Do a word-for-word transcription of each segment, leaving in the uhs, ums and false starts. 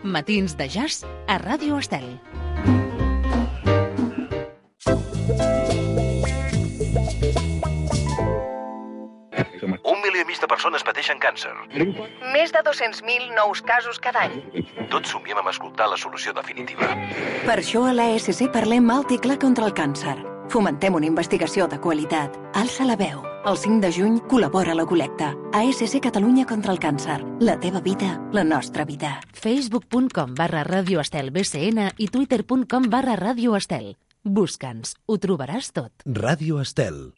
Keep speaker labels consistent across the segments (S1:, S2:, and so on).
S1: Matins de jazz a Ràdio Estel.
S2: Un milió i mig de persones pateixen càncer.
S3: Més de dos-cents mil nous casos cada any.
S2: Tots somiem amb escoltar la solució definitiva.
S4: Per això a l'A S C parlem alt i clar contra el càncer. Fomentem una investigació de qualitat. Alça la veu. El cinc de juny col·labora a la col·lecta. A S C Catalunya contra el càncer. La teva vida, la nostra vida.
S1: Facebook.com barra Radio Estel B C N i Twitter.com barra Radio Estel. Busca'ns, ho trobaràs tot.
S5: Ràdio Estel.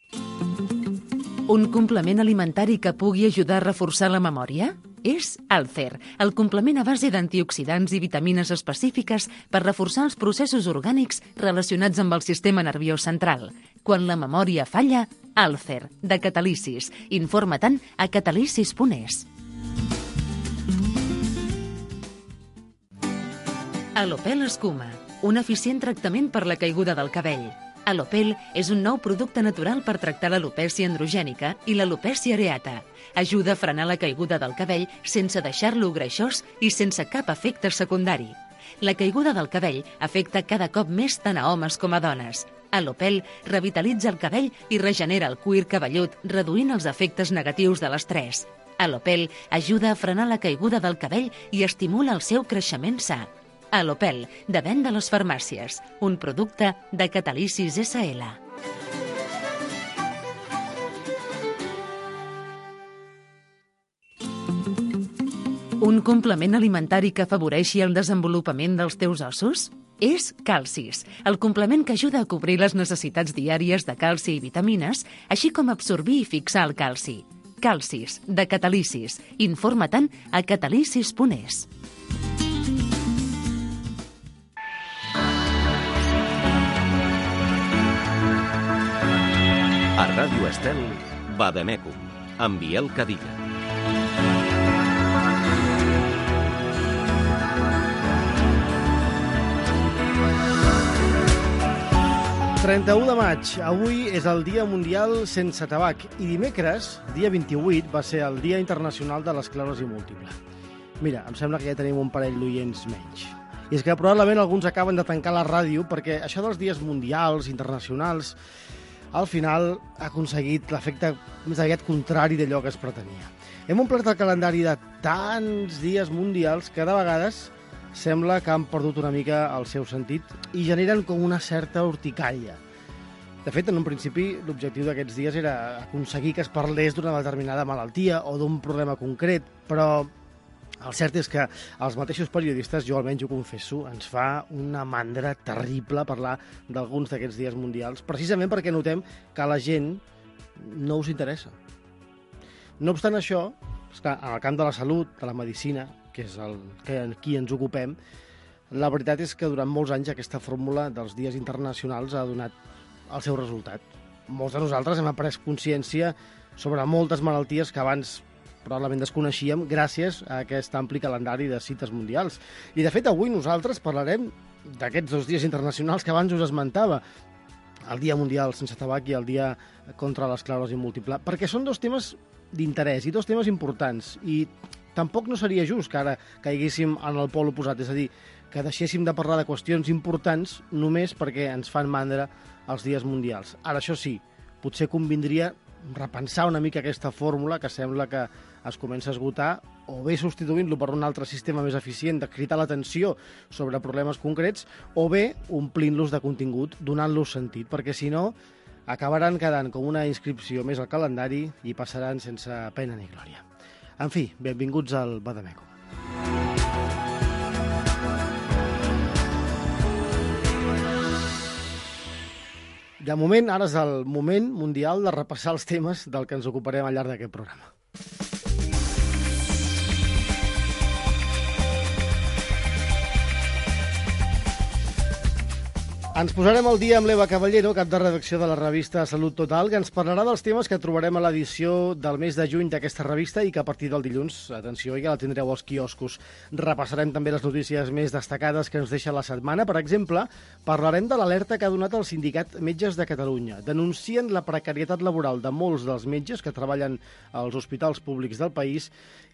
S1: Un complement alimentari que pugui ajudar a reforçar la memòria? És Alcer, el complement a base d'antioxidants i vitamines específiques per reforçar els processos orgànics relacionats amb el sistema nerviós central. Quan la memòria falla, Alcer, de Catalisis. Informa-te'n a catalisis punt es. Alopel Escuma, un eficient tractament per la caiguda del cabell. Alopel és un nou producte natural per tractar l'alopècia androgènica i l'alopècia areata. Ajuda a frenar la caiguda del cabell sense deixar-lo greixós i sense cap efecte secundari. La caiguda del cabell afecta cada cop més tant a homes com a dones. Alopel revitalitza el cabell i regenera el cuir cabellut, reduint els efectes negatius de l'estrès. Alopel ajuda a frenar la caiguda del cabell i estimula el seu creixement sa. Alopel, de venda a les farmàcies, un producte de Catalisis S L. Un complement alimentari que afavoreixi el desenvolupament dels teus ossos? És Calcis, el complement que ajuda a cobrir les necessitats diàries de calci i vitamines, així com absorbir i fixar el calci. Calcis, de Catalisis. Informa-te'n a catalisis punt es.
S6: A Ràdio Estel, Vademecum, amb Biel Cadilla.
S7: trenta-u de maig. Avui és el Dia Mundial sense tabac i dimecres, dia vint-i-vuit, va ser el Dia Internacional de l'Esclerosi Múltiple. Mira, em sembla que ja tenim un parell d'oients menys. I és que probablement alguns acaben de tancar la ràdio perquè això dels dies mundials, internacionals, al final ha aconseguit l'efecte més aviat contrari d'allò que es pretenia. Hem omplert el calendari de tants dies mundials que de vegades sembla que han perdut una mica el seu sentit i generen com una certa urticària. De fet, en un principi, l'objectiu d'aquests dies era aconseguir que es parlés d'una determinada malaltia o d'un problema concret, però el cert és que els mateixos periodistes, jo almenys ho confesso, ens fa una mandra terrible parlar d'alguns d'aquests dies mundials, precisament perquè notem que a la gent no us interessa. No obstant això, esclar, en el camp de la salut, de la medicina, que és el que aquí ens ocupem, la veritat és que durant molts anys aquesta fórmula dels dies internacionals ha donat el seu resultat. Molts de nosaltres hem après consciència sobre moltes malalties que abans probablement desconeixíem gràcies a aquest ampli calendari de cites mundials. I, de fet, avui nosaltres parlarem d'aquests dos dies internacionals que abans us esmentava, el Dia Mundial sense tabac i el Dia contra l'esclerosi múltiple, perquè són dos temes d'interès i dos temes importants. I tampoc no seria just que ara caiguéssim en el pol oposat, és a dir, que deixéssim de parlar de qüestions importants només perquè ens fan mandra els dies mundials. Ara, això sí, potser convindria repensar una mica aquesta fórmula que sembla que es comença a esgotar, o bé substituint-lo per un altre sistema més eficient de cridar l'atenció sobre problemes concrets, o bé omplint-los de contingut, donant-los sentit, perquè si no acabaran quedant com una inscripció més al calendari i passaran sense pena ni glòria. En fi, benvinguts al Vademecum. De moment, ara és el moment mundial de repassar els temes del que ens ocuparem al llarg d'aquest programa. Ens posarem al dia amb l'Eva Caballero, cap de redacció de la revista Salut Total, que ens parlarà dels temes que trobarem a l'edició del mes de juny d'aquesta revista i que a partir del dilluns, atenció, ja la tindreu als quioscos. Repassarem també les notícies més destacades que ens deixa la setmana. Per exemple, parlarem de l'alerta que ha donat el Sindicat Metges de Catalunya. Denuncien la precarietat laboral de molts dels metges que treballen als hospitals públics del país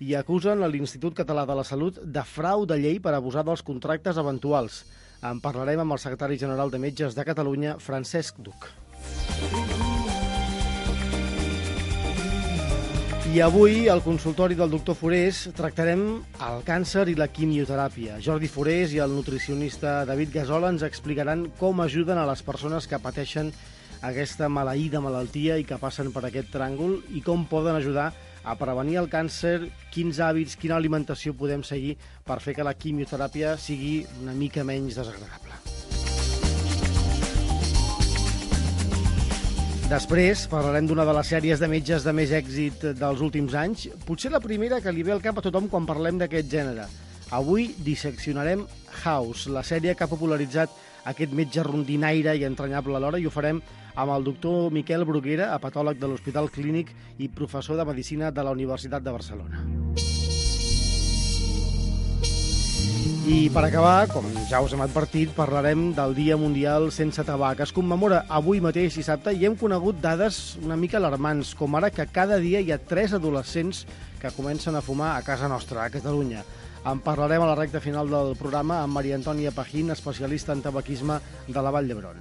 S7: i acusen l'Institut Català de la Salut de frau de llei per abusar dels contractes eventuals. En parlarem amb el secretari general de Metges de Catalunya, Francesc Duc. I avui, al consultori del doctor Forés, tractarem el càncer i la quimioteràpia. Jordi Forés i el nutricionista David Gasola ens explicaran com ajuden a les persones que pateixen aquesta maleïda malaltia i que passen per aquest tràngol i com poden ajudar a prevenir el càncer, quins hàbits, quina alimentació podem seguir per fer que la quimioteràpia sigui una mica menys desagradable. Després parlarem d'una de les sèries de metges de més èxit dels últims anys, potser la primera que li ve al cap a tothom quan parlem d'aquest gènere. Avui disseccionarem House, la sèrie que ha popularitzat aquest metge rondinaire i entranyable alhora, i ho farem amb el doctor Miquel Bruguera, hepatòleg de l'Hospital Clínic i professor de Medicina de la Universitat de Barcelona. I per acabar, com ja us hem advertit, parlarem del Dia Mundial Sense Tabac. Es commemora avui mateix dissabte i hem conegut dades una mica alarmants, com ara que cada dia hi ha tres adolescents que comencen a fumar a casa nostra, a Catalunya. En parlarem a la recta final del programa amb Maria Antònia Pajín, especialista en tabaquisme de la Vall d'Hebron.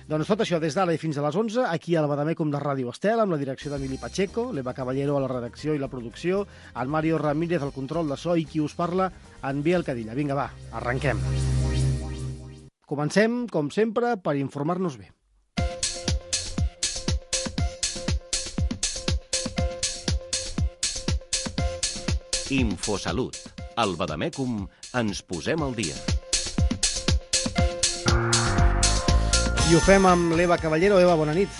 S7: Doncs tot això des d'ara i fins a les onze, aquí a la Badamècum de Ràdio Estel, amb la direcció d'Emili Pacheco, l'Eva Caballero a la redacció i la producció, en Mario Ramírez al control de so i qui us parla, en Biel Cadilla. Vinga, va, arrenquem. Comencem, com sempre, per informar-nos bé.
S6: Infosalut. Al Badamècum ens posem al dia.
S7: I ho fem amb l'Eva Caballero. Eva, bona nit.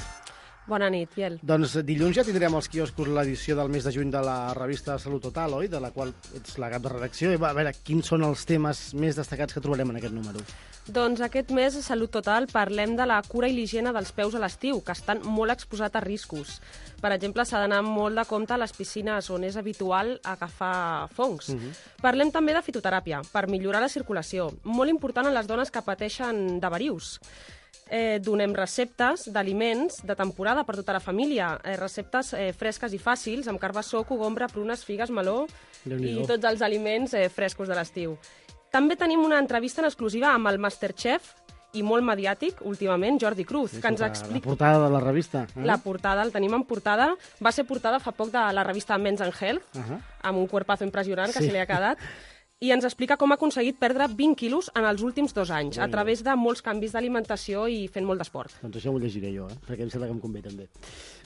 S5: Bona nit, Biel.
S7: Doncs dilluns ja tindrem als quioscos l'edició del mes de juny de la revista Salut Total, oi? De la qual ets la cap de redacció. Eva, a veure, quins són els temes més destacats que trobarem en aquest número?
S5: Doncs aquest mes a Salut Total parlem de la cura i l'higiene dels peus a l'estiu, que estan molt exposats a riscos. Per exemple, s'ha d'anar molt de compte a les piscines on és habitual agafar fongs. Uh-huh. Parlem també de fitoteràpia, per millorar la circulació, molt important en les dones que pateixen de varius. Eh, donem receptes d'aliments de temporada per tota la família, eh, receptes eh, fresques i fàcils, amb carbassó, cogombre, prunes, figues, meló i tots els aliments eh, frescos de l'estiu. També tenim una entrevista en exclusiva amb el Masterchef i molt mediàtic, últimament, Jordi Cruz,
S7: sí,
S5: que ens explica...
S7: La portada de la revista. Eh?
S5: La portada, el tenim en portada. Va ser portada fa poc de la revista Men's and Health, uh-huh. amb un cuerpazo impressionant que sí. se li ha quedat. I ens explica com ha aconseguit perdre vint quilos en els últims dos anys, a través de molts canvis d'alimentació i fent molt d'esport.
S7: Doncs això m'ho llegiré jo, eh? perquè em sembla que em convé també.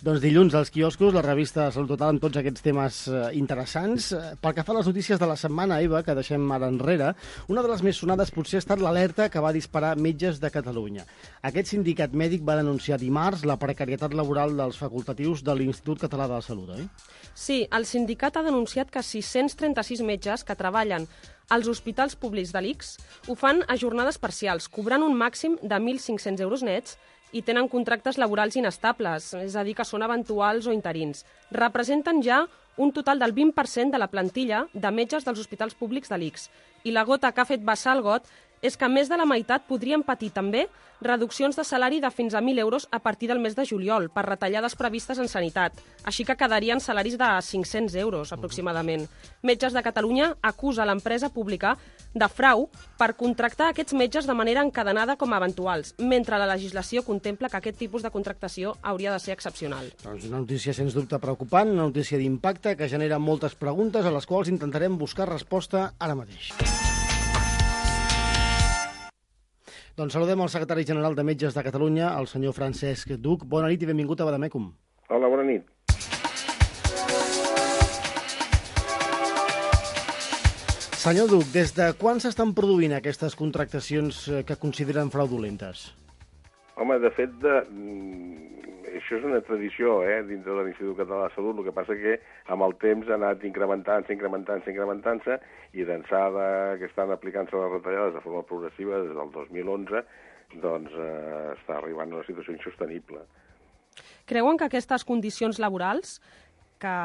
S7: Doncs dilluns als quioscos, la revista Salut Total amb tots aquests temes eh, interessants. Pel que fa a les notícies de la setmana, Eva, que deixem ara enrere, una de les més sonades potser ha estat l'alerta que va disparar Metges de Catalunya. Aquest sindicat mèdic va denunciar dimarts la precarietat laboral dels facultatius de l'Institut Català de la Salut, oi?
S5: Sí, el sindicat ha denunciat que sis-cents trenta-sis metges que treballen als hospitals públics de l'I C S ho fan a jornades parcials, cobrant un màxim de mil cinc-cents euros nets i tenen contractes laborals inestables, és a dir, que són eventuals o interins. Representen ja un total del vint per cent de la plantilla de metges dels hospitals públics de l'I C S. I la gota que ha fet vessar el got és que més de la meitat podrien patir també reduccions de salari de fins a mil euros a partir del mes de juliol per retallades previstes en sanitat. Així que quedarien salaris de cinc-cents euros, aproximadament. Metges de Catalunya acusa l'empresa pública de frau per contractar aquests metges de manera encadenada com a eventuals, mentre la legislació contempla que aquest tipus de contractació hauria de ser excepcional.
S7: Doncs una notícia sens dubte preocupant, una notícia d'impacte que genera moltes preguntes a les quals intentarem buscar resposta ara mateix. Doncs saludem el secretari general de Metges de Catalunya, el senyor Francesc Duc. Bona nit i benvingut a Badamècum.
S8: Hola, bona nit.
S7: Senyor Duc, des de quan s'estan produint aquestes contractacions que consideren fraudulentes?
S8: Home, de fet, de... això és una tradició, eh, dintre de l'Institut Català de Salut. El que passa que amb el temps ha anat incrementant-se, incrementant-se, incrementant-se, i d'ençà que estan aplicant-se les retallades de forma progressiva des del dos mil onze, doncs eh, està arribant a una situació insostenible.
S5: Creuen que aquestes condicions laborals que,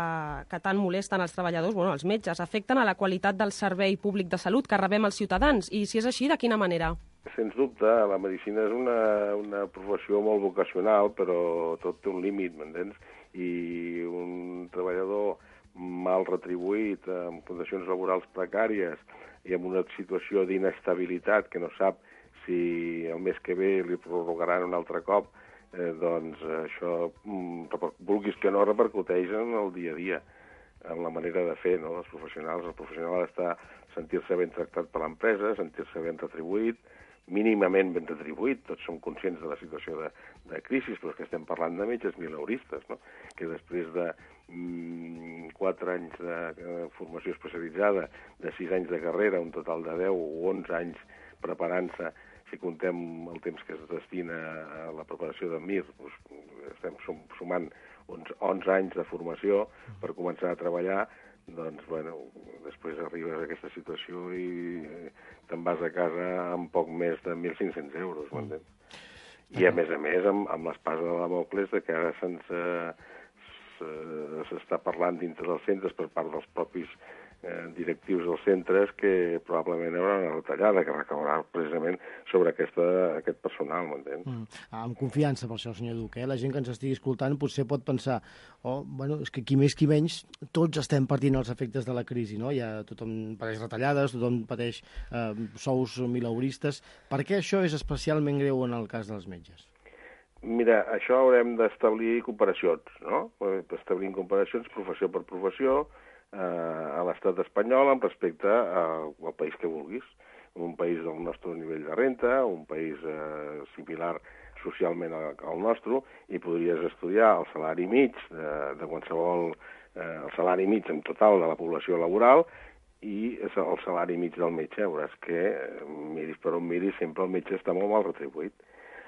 S5: que tant molesten els treballadors, bueno, els metges, afecten a la qualitat del servei públic de salut que rebem els ciutadans? I si és així, de quina manera?
S8: Sens dubte, la medicina és una, una professió molt vocacional, però tot té un límit, m'entens? I un treballador mal retribuït, amb condicions laborals precàries i amb una situació d'inestabilitat que no sap si el mes que ve li prorrogaran un altre cop, eh, doncs això, vulguis que no, repercuteix en el dia a dia, en la manera de fer, no?, els professionals. El professional està sentir-se ben tractat per l'empresa, sentir-se ben retribuït, mínimament ben retribuït. Tots som conscients de la situació de, de crisi, però és que estem parlant de metges mileuristes, no?, que després de mm, quatre anys de, de formació especialitzada, de sis anys de carrera, un total de deu o onze anys preparant-se, si contem el temps que es destina a la preparació de Mir, doncs estem sumant uns onze anys de formació per començar a treballar. Doncs, bueno, després arribes a aquesta situació i te'n vas a casa amb poc més de mil cinc-cents euros, m'entens? I, a més a més, amb, amb l'espasa de Damocles, de que ara se'ns s'està parlant dintre dels centres per part dels propis eh, directius dels centres que probablement hi haurà una retallada que recaurà precisament sobre aquesta, aquest personal, m'entens? Mm.
S7: Amb confiança per això, senyor Duque. Eh? La gent que ens estigui escoltant potser pot pensar oh, bueno, és que qui més qui menys tots estem patint els efectes de la crisi, no? Ja tothom pateix retallades, tothom pateix eh, sous mileuristes. Per què això és especialment greu en el cas dels metges?
S8: Mira, això haurem d'establir comparacions, no? Establir comparacions professió per professió eh, a l'estat espanyol amb respecte a, al país que vulguis. Un país del nostre nivell de renta, un país eh, similar socialment al nostre, i podries estudiar el salari mig de, de qualsevol, eh, el salari mig en total de la població laboral i el salari mig del metge. Veuràs que, miris per on miris, sempre el metge està molt mal retribuït.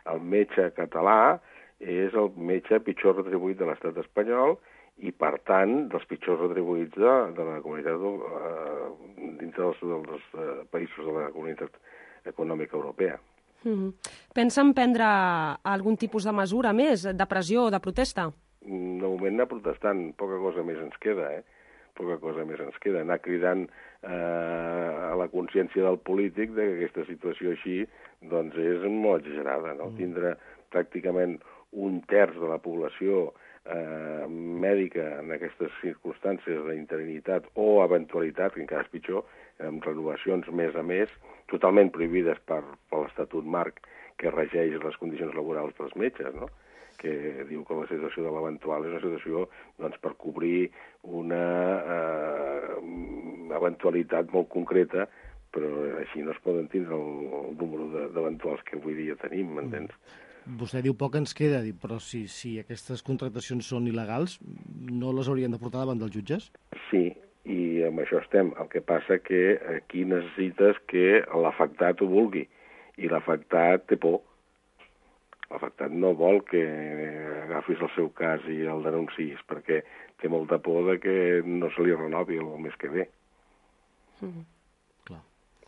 S8: El metge català és el metge pitjor retribuït de l'estat espanyol i, per tant, dels pitjors retribuïts de, de la comunitat eh, dintre dels, dels eh, països de la comunitat econòmica europea.
S5: Mm-hmm. Pensen prendre algun tipus de mesura més, de pressió o de protesta?
S8: De moment anar protestant, poca cosa més ens queda, eh? Poca cosa més ens queda. Anar cridant eh, a la consciència del polític de que aquesta situació així doncs és molt exagerada, no? Mm. Tindre pràcticament un terç de la població eh, mèdica en aquestes circumstàncies d'interinitat o eventualitat, que encara és pitjor, amb renovacions mes a mes, totalment prohibides per, per l'Estatut Marc que regeix les condicions laborals dels metges, no?, que diu que la situació de l'eventual és una situació doncs, per cobrir una eh, eventualitat molt concreta, però així no es poden tindre el, el número d'eventuals que avui dia tenim, m'entens?
S7: Vostè diu poc ens queda, però si, si aquestes contractacions són il·legals, no les haurien de portar davant dels jutges?
S8: Sí, i amb això estem. El que passa que aquí necessites que l'afectat ho vulgui, i l'afectat té por. L'afectat no vol que agafis el seu cas i el denuncis, perquè té molta por de que no se li renovi el mes que ve.
S5: Mm-hmm.
S7: Clar.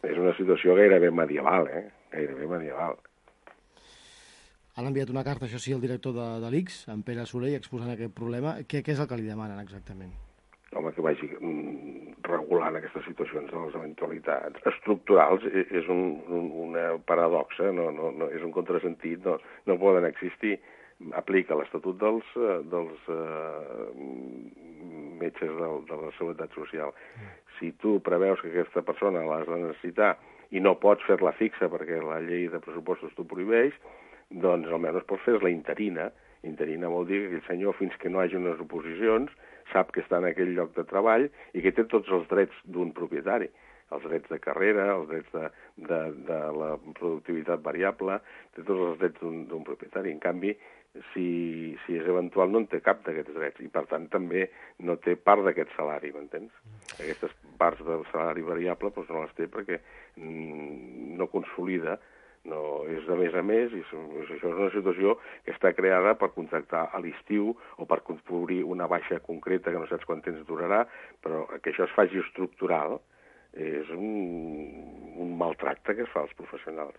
S8: És una situació gairebé medieval, eh? Gairebé medieval.
S7: Han enviat una carta, això sí, al director de, de l'I C S, en Pere Soler, exposant aquest problema. Què, què és el que li demanen exactament?
S8: Home, que vagi regulant aquestes situacions de les eventualitats estructurals. És un, un, una paradoxa, no, no, no, és un contrasentit, no, no poden existir. Aplica l'Estatut dels, dels uh, metges de, de la Seguretat Social. Si tu preveus que aquesta persona l'has de necessitar i no pots fer-la fixa perquè la llei de pressupostos t'ho prohibeix, doncs almenys pots fer-la interina. Interina vol dir que aquell senyor, fins que no hagi unes oposicions, sap que està en aquell lloc de treball i que té tots els drets d'un propietari. Els drets de carrera, els drets de, de, de la productivitat variable, té tots els drets d'un propietari. En canvi, si, si és eventual, no en té cap d'aquests drets i, per tant, també no té part d'aquest salari, m'entens? Aquestes parts del salari variable doncs, no les té perquè mm, no consolida No, és de més a més, i això és una situació que està creada per contractar a l'estiu o per cobrir una baixa concreta que no saps quant temps durarà, però que això es faci estructural és un, un maltracte que es fa als professionals.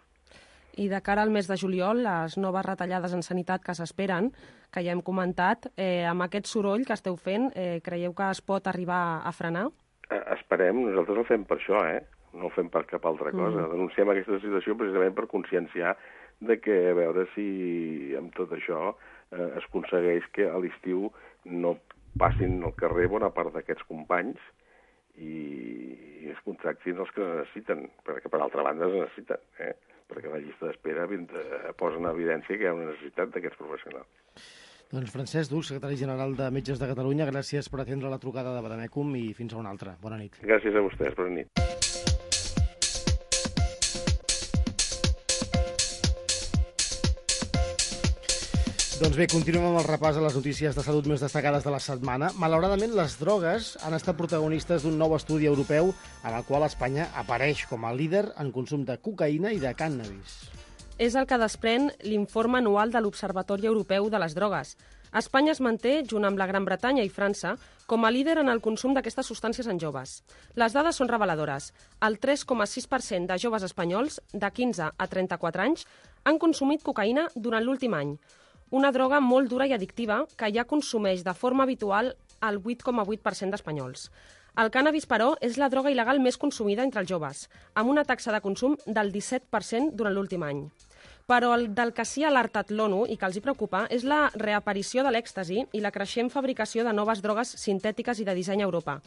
S5: I de cara al mes de juliol, les noves retallades en sanitat que s'esperen, que ja hem comentat, eh, amb aquest soroll que esteu fent, eh, creieu que es pot arribar a frenar?
S8: Eh, esperem, nosaltres el fem per això, eh? No ho fem per cap altra cosa. Mm. Denunciem aquesta situació precisament per conscienciar de que a veure si amb tot això eh, es aconsegueix que a l'estiu no passin al carrer bona part d'aquests companys i, i es contractin els que es necessiten, perquè per altra banda es necessiten, eh? Perquè la llista d'espera posa en evidència que hi ha una necessitat d'aquests professionals.
S7: Doncs Francesc Dux, secretari general de Metges de Catalunya, gràcies per atendre la trucada de Bademecum i fins a una altra. Bona nit.
S8: Gràcies a vostès, bona nit.
S7: Doncs bé, continuem amb el repàs a les notícies de salut més destacades de la setmana. Malauradament, les drogues han estat protagonistes d'un nou estudi europeu en el qual Espanya apareix com a líder en consum de cocaïna i de cànnabis.
S5: És el que desprèn l'informe anual de l'Observatori Europeu de les Drogues. Espanya es manté, junt amb la Gran Bretanya i França, com a líder en el consum d'aquestes substàncies en joves. Les dades són reveladores. El tres coma sis per cent de joves espanyols de quinze a trenta-quatre anys han consumit cocaïna durant l'últim any. Una droga molt dura i addictiva que ja consumeix de forma habitual el vuit coma vuit per cent d'espanyols. El cànnabis, però, és la droga il·legal més consumida entre els joves, amb una taxa de consum del disset per cent durant l'últim any. Però el del que s'hi ha alertat l'ONU i que els hi preocupa és la reaparició de l'èxtasi i la creixent fabricació de noves drogues sintètiques i de disseny a Europa.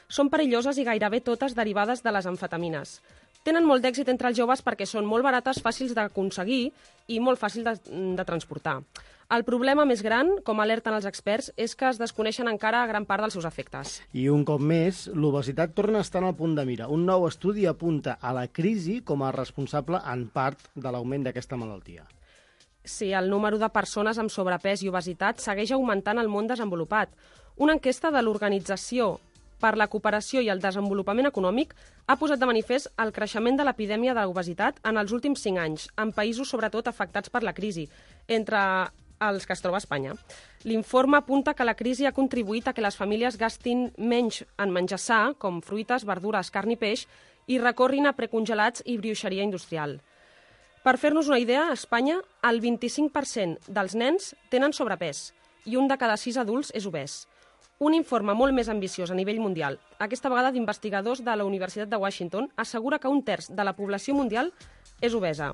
S5: Són perilloses i gairebé totes derivades de les amfetamines. Tenen molt d'èxit entre els joves perquè són molt barates, fàcils d'aconseguir i molt fàcils de, de transportar. El problema més gran, com alerten els experts, és que es desconeixen encara gran part dels seus efectes.
S7: I un cop més, l'obesitat torna a estar en el punt de mira. Un nou estudi apunta a la crisi com a responsable en part de l'augment d'aquesta malaltia.
S5: Sí, el número de persones amb sobrepès i obesitat segueix augmentant al món desenvolupat. Una enquesta de l'Organització per la Cooperació i el Desenvolupament Econòmic ha posat de manifest el creixement de l'epidèmia de l'obesitat en els últims cinc anys, en països sobretot afectats per la crisi, entre els que es troba a Espanya. L'informe apunta que la crisi ha contribuït a que les famílies gastin menys en menjar sa, com fruites, verdures, carn i peix, i recorrin a precongelats i brioixeria industrial. Per fer-nos una idea, a Espanya el vint-i-cinc per cent dels nens tenen sobrepès i un de cada sis adults és obès. Un informe molt més ambiciós a nivell mundial, aquesta vegada d'investigadors de la Universitat de Washington, assegura que un terç de la població mundial és obesa.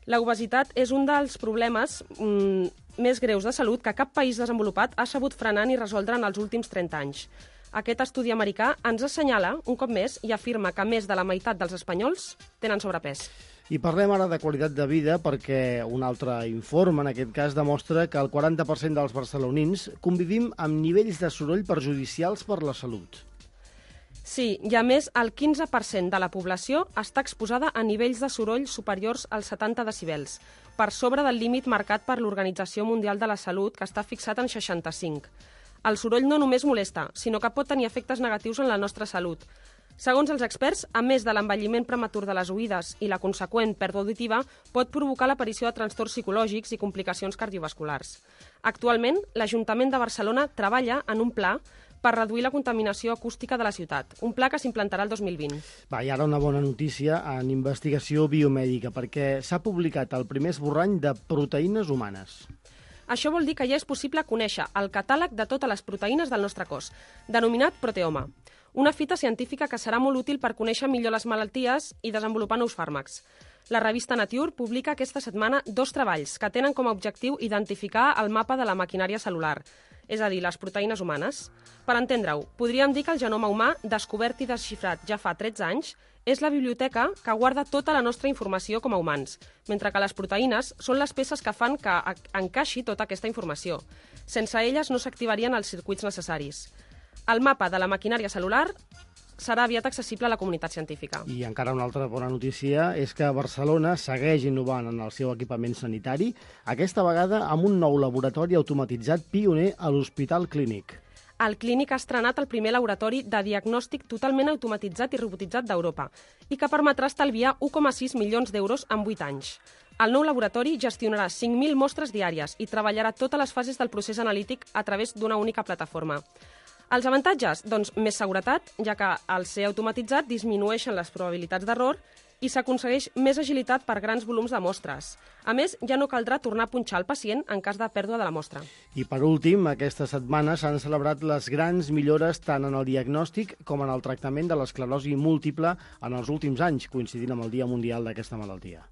S5: L'obesitat és un dels problemes mm, més greus de salut que cap país desenvolupat ha sabut frenar ni resoldre en els últims trenta anys. Aquest estudi americà ens assenyala, un cop més, i afirma que més de la meitat dels espanyols tenen sobrepès.
S7: I parlem ara de qualitat de vida perquè un altre informe, en aquest cas, demostra que el quaranta per cent dels barcelonins convivim amb nivells de soroll perjudicials per la salut.
S5: Sí, i a més, el quinze per cent de la població està exposada a nivells de soroll superiors als setanta decibels, per sobre del límit marcat per l'Organització Mundial de la Salut, que està fixat en seixanta-cinc. El soroll no només molesta, sinó que pot tenir efectes negatius en la nostra salut. Segons els experts, a més de l'envelliment prematur de les oïdes i la conseqüent pèrdua auditiva, pot provocar l'aparició de trastorns psicològics i complicacions cardiovasculars. Actualment, l'Ajuntament de Barcelona treballa en un pla per reduir la contaminació acústica de la ciutat, un pla que s'implantarà el dos mil vint.
S7: Va, i ara una bona notícia en investigació biomèdica, perquè s'ha publicat el primer esborrany de proteïnes humanes.
S5: Això vol dir que ja és possible conèixer el catàleg de totes les proteïnes del nostre cos, denominat proteoma. Una fita científica que serà molt útil per conèixer millor les malalties i desenvolupar nous fàrmacs. La revista Nature publica aquesta setmana dos treballs que tenen com a objectiu identificar el mapa de la maquinària celular, és a dir, les proteïnes humanes. Per entendre-ho, podríem dir que el genoma humà, descobert i desxifrat ja fa tretze anys, és la biblioteca que guarda tota la nostra informació com a humans, mentre que les proteïnes són les peces que fan que encaixi tota aquesta informació. Sense elles no s'activarien els circuits necessaris. El mapa de la maquinària celular serà aviat accessible a la comunitat científica.
S7: I encara una altra bona notícia és que Barcelona segueix innovant en el seu equipament sanitari, aquesta vegada amb un nou laboratori automatitzat pioner a l'Hospital Clínic.
S5: El Clínic ha estrenat el primer laboratori de diagnòstic totalment automatitzat i robotitzat d'Europa i que permetrà estalviar un coma sis milions d'euros en vuit anys. El nou laboratori gestionarà cinc mil mostres diàries i treballarà totes les fases del procés analític a través d'una única plataforma. Els avantatges? Doncs més seguretat, ja que al ser automatitzat disminueixen les probabilitats d'error i s'aconsegueix més agilitat per grans volums de mostres. A més, ja no caldrà tornar a punxar el pacient en cas de pèrdua de la mostra.
S7: I per últim, aquesta setmana s'han celebrat les grans millores tant en el diagnòstic com en el tractament de l'esclerosi múltiple en els últims anys, coincidint amb el Dia Mundial d'aquesta malaltia.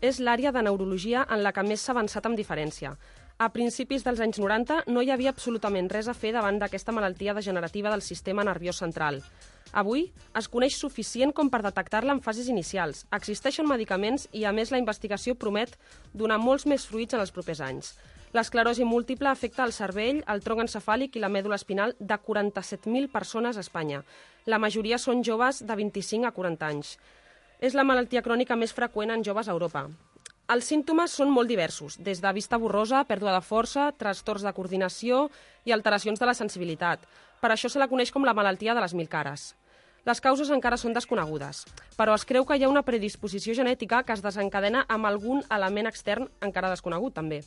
S5: És l'àrea de neurologia en la que més s'ha avançat amb diferència. A principis dels anys noranta no hi havia absolutament res a fer davant d'aquesta malaltia degenerativa del sistema nerviós central. Avui es coneix suficient com per detectar-la en fases inicials. Existeixen medicaments i, a més, la investigació promet donar molts més fruits en els propers anys. L'esclerosi múltiple afecta el cervell, el tronc encefàlic i la mèdula espinal de quaranta-set mil persones a Espanya. La majoria són joves de vint-i-cinc a quaranta anys. És la malaltia crònica més freqüent en joves a Europa. Els símptomes són molt diversos, des de vista borrosa, pèrdua de força, trastorns de coordinació i alteracions de la sensibilitat. Per això se la coneix com la malaltia de les mil cares. Les causes encara són desconegudes, però es creu que hi ha una predisposició genètica que es desencadena amb algun element extern encara desconegut, també.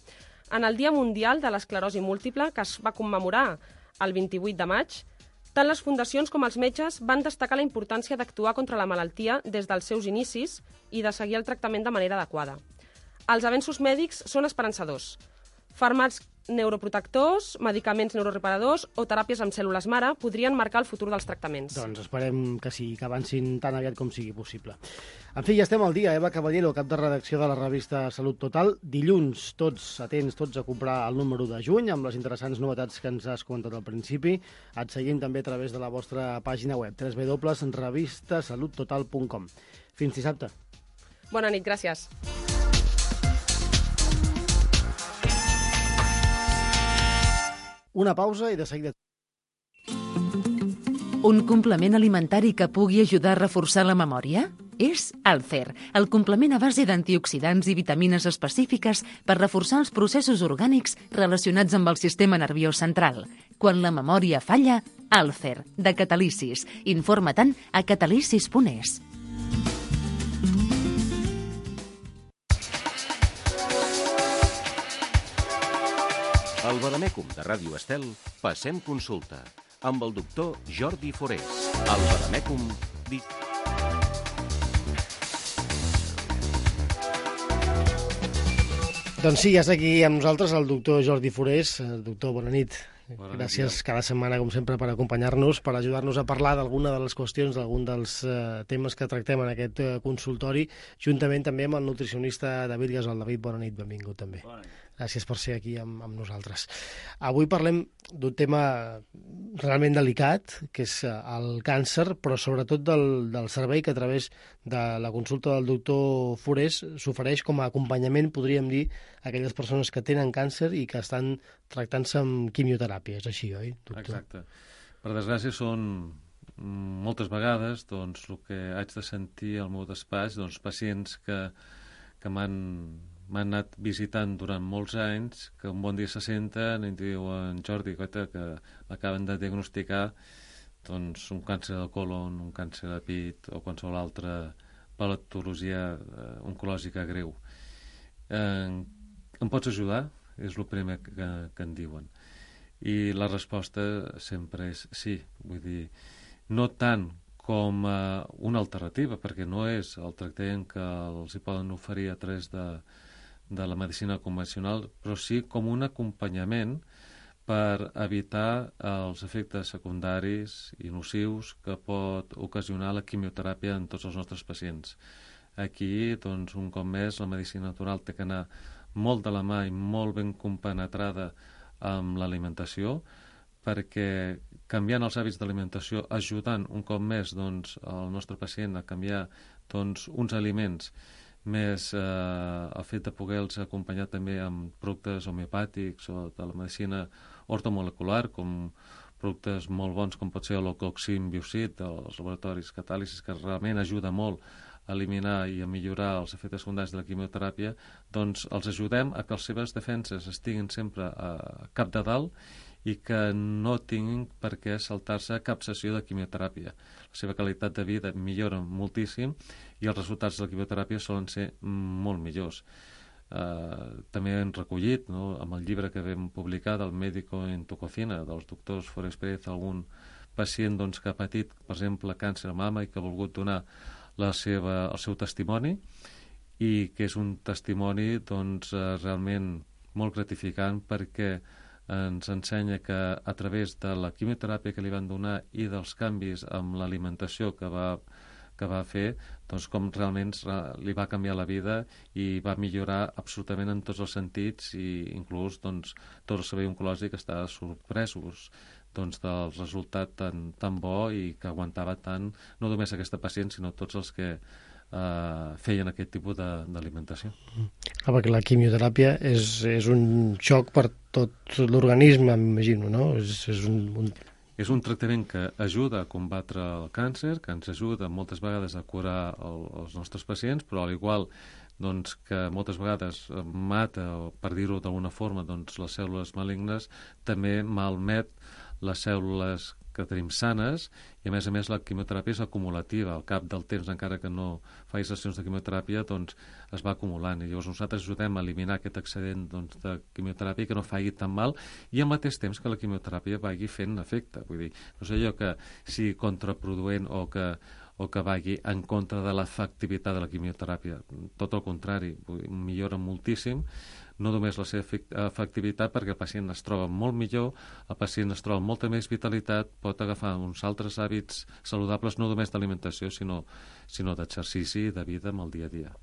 S5: En el Dia Mundial de l'Esclerosi Múltiple, que es va commemorar el vint-i-vuit de maig, tant les fundacions com els metges van destacar la importància d'actuar contra la malaltia des dels seus inicis i de seguir el tractament de manera adequada. Els avenços mèdics són esperançadors. Fàrmacs neuroprotectors, medicaments neuroreparadors o teràpies amb cèl·lules mare podrien marcar el futur dels tractaments.
S7: Doncs esperem que sí, que avancin tan aviat com sigui possible. En fi, ja estem al dia. Eva Caballero, cap de redacció de la revista Salut Total. Dilluns, tots atents, tots a comprar el número de juny amb les interessants novetats que ens has comentat al principi. Et seguim també a través de la vostra pàgina web, w w w punt revista salut total punt com. Fins dissabte.
S5: Bona nit, gràcies.
S7: Una pausa i de seguida...
S1: Un complement alimentari que pugui ajudar a reforçar la memòria? És Alcer, el complement a base d'antioxidants i vitamines específiques per reforçar els processos orgànics relacionats amb el sistema nerviós central. Quan la memòria falla, Alcer, de Catalicis. Informa-te'n a catalicis punt es.
S6: Al Vademècum de Ràdio Estel passem consulta amb el doctor Jordi Forés. Al Vademècum... Di...
S7: Doncs sí, ja està aquí amb nosaltres el doctor Jordi Forés. Doctor, bona nit.
S9: Bona
S7: Gràcies
S9: nit.
S7: cada setmana, com sempre, per acompanyar-nos, per ajudar-nos a parlar d'alguna de les qüestions, d'algun dels uh, temes que tractem en aquest uh, consultori, juntament també amb el nutricionista David Gasol. David, bona nit, benvingut també.
S9: Bona nit.
S7: Gràcies per ser aquí amb, amb nosaltres. Avui parlem d'un tema realment delicat, que és el càncer, però sobretot del, del servei que a través de la consulta del doctor Forés s'ofereix com a acompanyament, podríem dir, a aquelles persones que tenen càncer i que estan tractant-se amb quimioteràpia. És així, oi, doctor?
S9: Exacte. Per desgràcia són moltes vegades doncs, el que haig de sentir al meu despatx, doncs, pacients que, que m'han m'han anat visitant durant molts anys, que un bon dia se senten i em diuen, Jordi, coita, que m'acaben de diagnosticar doncs, un càncer de colon, un càncer de pit o qualsevol altra patologia eh, oncològica greu. Eh, em pots ajudar? És el primer que, que em diuen. I la resposta sempre és sí. Vull dir, no tant com eh, una alternativa, perquè no és el tractament que els hi poden oferir a través de de la medicina convencional, però sí com un acompanyament per evitar els efectes secundaris i nocius que pot ocasionar la quimioteràpia en tots els nostres pacients. Aquí, doncs, un cop més, la medicina natural té que anar molt de la mà i molt ben compenetrada amb l'alimentació, perquè canviant els hàbits d'alimentació, ajudant un cop més doncs, el nostre pacient a canviar doncs, uns aliments més eh, el fet de poder-los acompanyar també amb productes homeopàtics o de la medicina ortomolecular, com productes molt bons com pot ser l'Ocoxim Biocid dels laboratoris Catàlisis, que realment ajuda molt a eliminar i a millorar els efectes secundaris de la quimioteràpia, doncs els ajudem a que les seves defenses estiguin sempre a cap de dalt i que no tinguin per què saltar-se cap sessió de quimioteràpia. La seva qualitat de vida millora moltíssim i els resultats de la quimioteràpia solen ser molt millors. Uh, també hem recollit, no, amb el llibre que vam publicar del Médico en tu cocina, dels doctors Forés Pérez, algun pacient doncs, que ha patit, per exemple, càncer a mama i que ha volgut donar la seva, el seu testimoni, i que és un testimoni doncs, uh, realment molt gratificant perquè ens ensenya que a través de la quimioteràpia que li van donar i dels canvis amb l'alimentació que va que va fer, doncs com realment li va canviar la vida i va millorar absolutament en tots els sentits i inclús doncs, tot el servei oncològic està sorpresos doncs, del resultat tan, tan bo i que aguantava tant, no només aquesta pacient, sinó tots els que eh, feien aquest tipus d'alimentació.
S10: Clar, perquè la quimioteràpia és, és un xoc per tot l'organisme, m'imagino, no? És, és un... un...
S9: És un tractament que ajuda a combatre el càncer, que ens ajuda moltes vegades a curar el, els nostres pacients, però al igual doncs, que moltes vegades mata, o per dir-ho d'alguna forma, doncs, les cèl·lules malignes, també malmet les cèl·lules que tenim sanes i, a més a més, la quimioteràpia és acumulativa. Al cap del temps, encara que no facis sessions de quimioteràpia, doncs es va acumulant. I llavors nosaltres ajudem a eliminar aquest excedent doncs, de quimioteràpia que no faci tan mal i al mateix temps que la quimioteràpia vagi fent efecte. Vull dir, no sé jo que sigui contraproduent o que o que vagi en contra de l'efectivitat de la quimioteràpia. Tot el contrari, millora moltíssim, no només la seva efectivitat perquè el pacient es troba molt millor, el pacient es troba amb molta més vitalitat, pot agafar uns altres hàbits saludables, no només d'alimentació, sinó, sinó d'exercici i de vida amb el dia a dia.